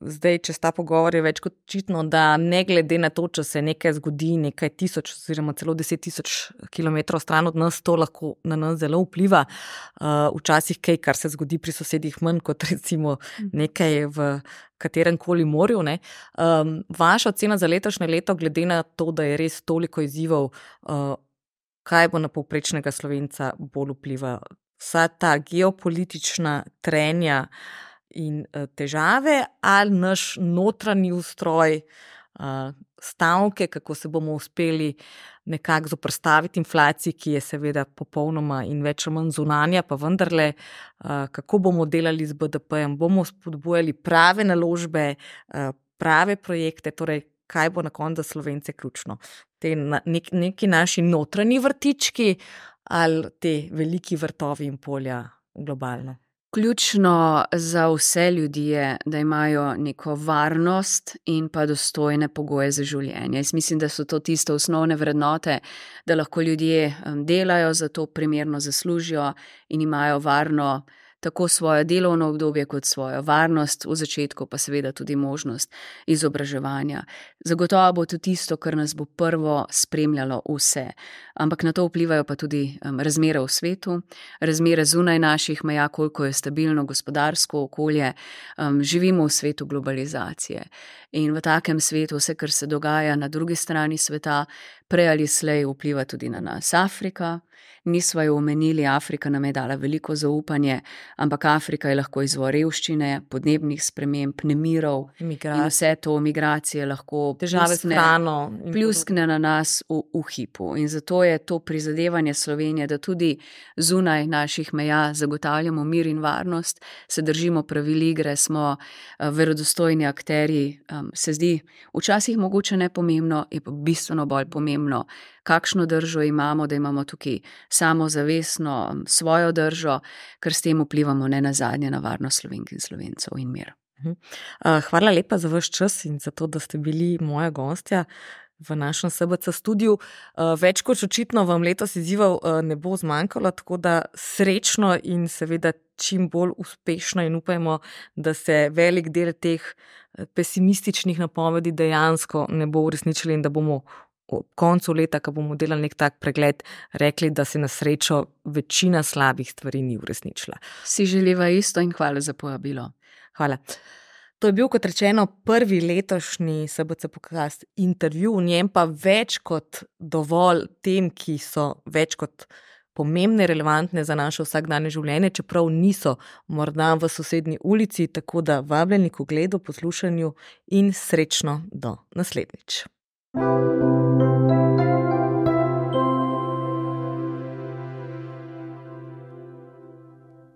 Zdaj, če sta pogovor, je več kot očitno, da ne glede na to, če se nekaj zgodi nekaj tisoč oziroma celo deset tisoč kilometrov stran od nas, to lahko na nas zelo vpliva. Uh, včasih kaj, kar se zgodi pri sosedih manj, kot recimo nekaj v katerem koli morju. Ne. Um, vaša ocena za letošnje leto, glede na to, da je res toliko izzivov, uh, kaj bo na povprečnega Slovenca bolj vpliva? Vsa ta geopolitična trenja in težave ali naš notranji ustroj, stavke, kako se bomo uspeli nekako zoperstaviti inflaciji, ki je seveda popolnoma in več ali manj zunanja, pa vendarle, kako bomo delali z B D P-jem, bomo spodbujali prave naložbe, prave projekte, torej kaj bo na koncu za Slovence ključno. Te nek, neki naši notranji vrtički ali te veliki vrtovi in polja globalno. Ključno za vse ljudi je, da imajo neko varnost in pa dostojne pogoje za življenje. Jaz mislim, da so to tiste osnovne vrednote, da lahko ljudje delajo, za to primerno zaslužijo in imajo varno tako svoje delovno obdobje kot svojo varnost, v začetku pa seveda tudi možnost izobraževanja. Zagotovo bo to tisto, kar nas bo prvo spremljalo vse. Ampak na to vplivajo pa tudi um, razmere v svetu, razmere zunaj naših meja, koliko je stabilno gospodarsko okolje. Um, živimo v svetu globalizacije in v takem svetu vse, kar se dogaja na drugi strani sveta, prej ali slej vpliva tudi na nas. Afrika, nisva jo omenili, Afrika nam je dala veliko zaupanje, ampak Afrika je lahko izvor revščine, podnebnih sprememb, nemirov in vse to, migracije lahko težave s hrano, pljuskne na nas v, v hipu. In zato je to prizadevanje Slovenije, da tudi zunaj naših meja zagotavljamo mir in varnost, se držimo pravil igre, smo uh, verodostojni akterji, um, se zdi včasih mogoče nepomembno, je pa bistveno bolj pomembno, kakšno držo imamo, da imamo tukaj samozavestno svojo držo, ker s tem vplivamo ne nazadnje na varnost Slovenk in Slovencev in mir. Hvala lepa za vaš čas in za to, da ste bili moja gostja v našem S B C studiu. Več kot očitno vam letos izzivov ne bo zmanjkalo, tako da srečno in seveda čim bolj uspešno in upajmo, da se velik del teh pesimističnih napovedi dejansko ne bo uresničili in da bomo ob koncu leta, ko bomo delali nek tak pregled, rekli, da se na srečo večina slabih stvari ni uresničila. Si želiva isto in hvala za povabilo. Hvala. To je bil, kot rečeno, prvi letošnji S B C podcast intervju, v njem pa več kot dovolj tem, ki so več kot pomembne, relevantne za naše vsakdanje življenje, čeprav niso morda v sosednji ulici, tako da vabljeni k ogledu, poslušanju in srečno do naslednjič. Thank you.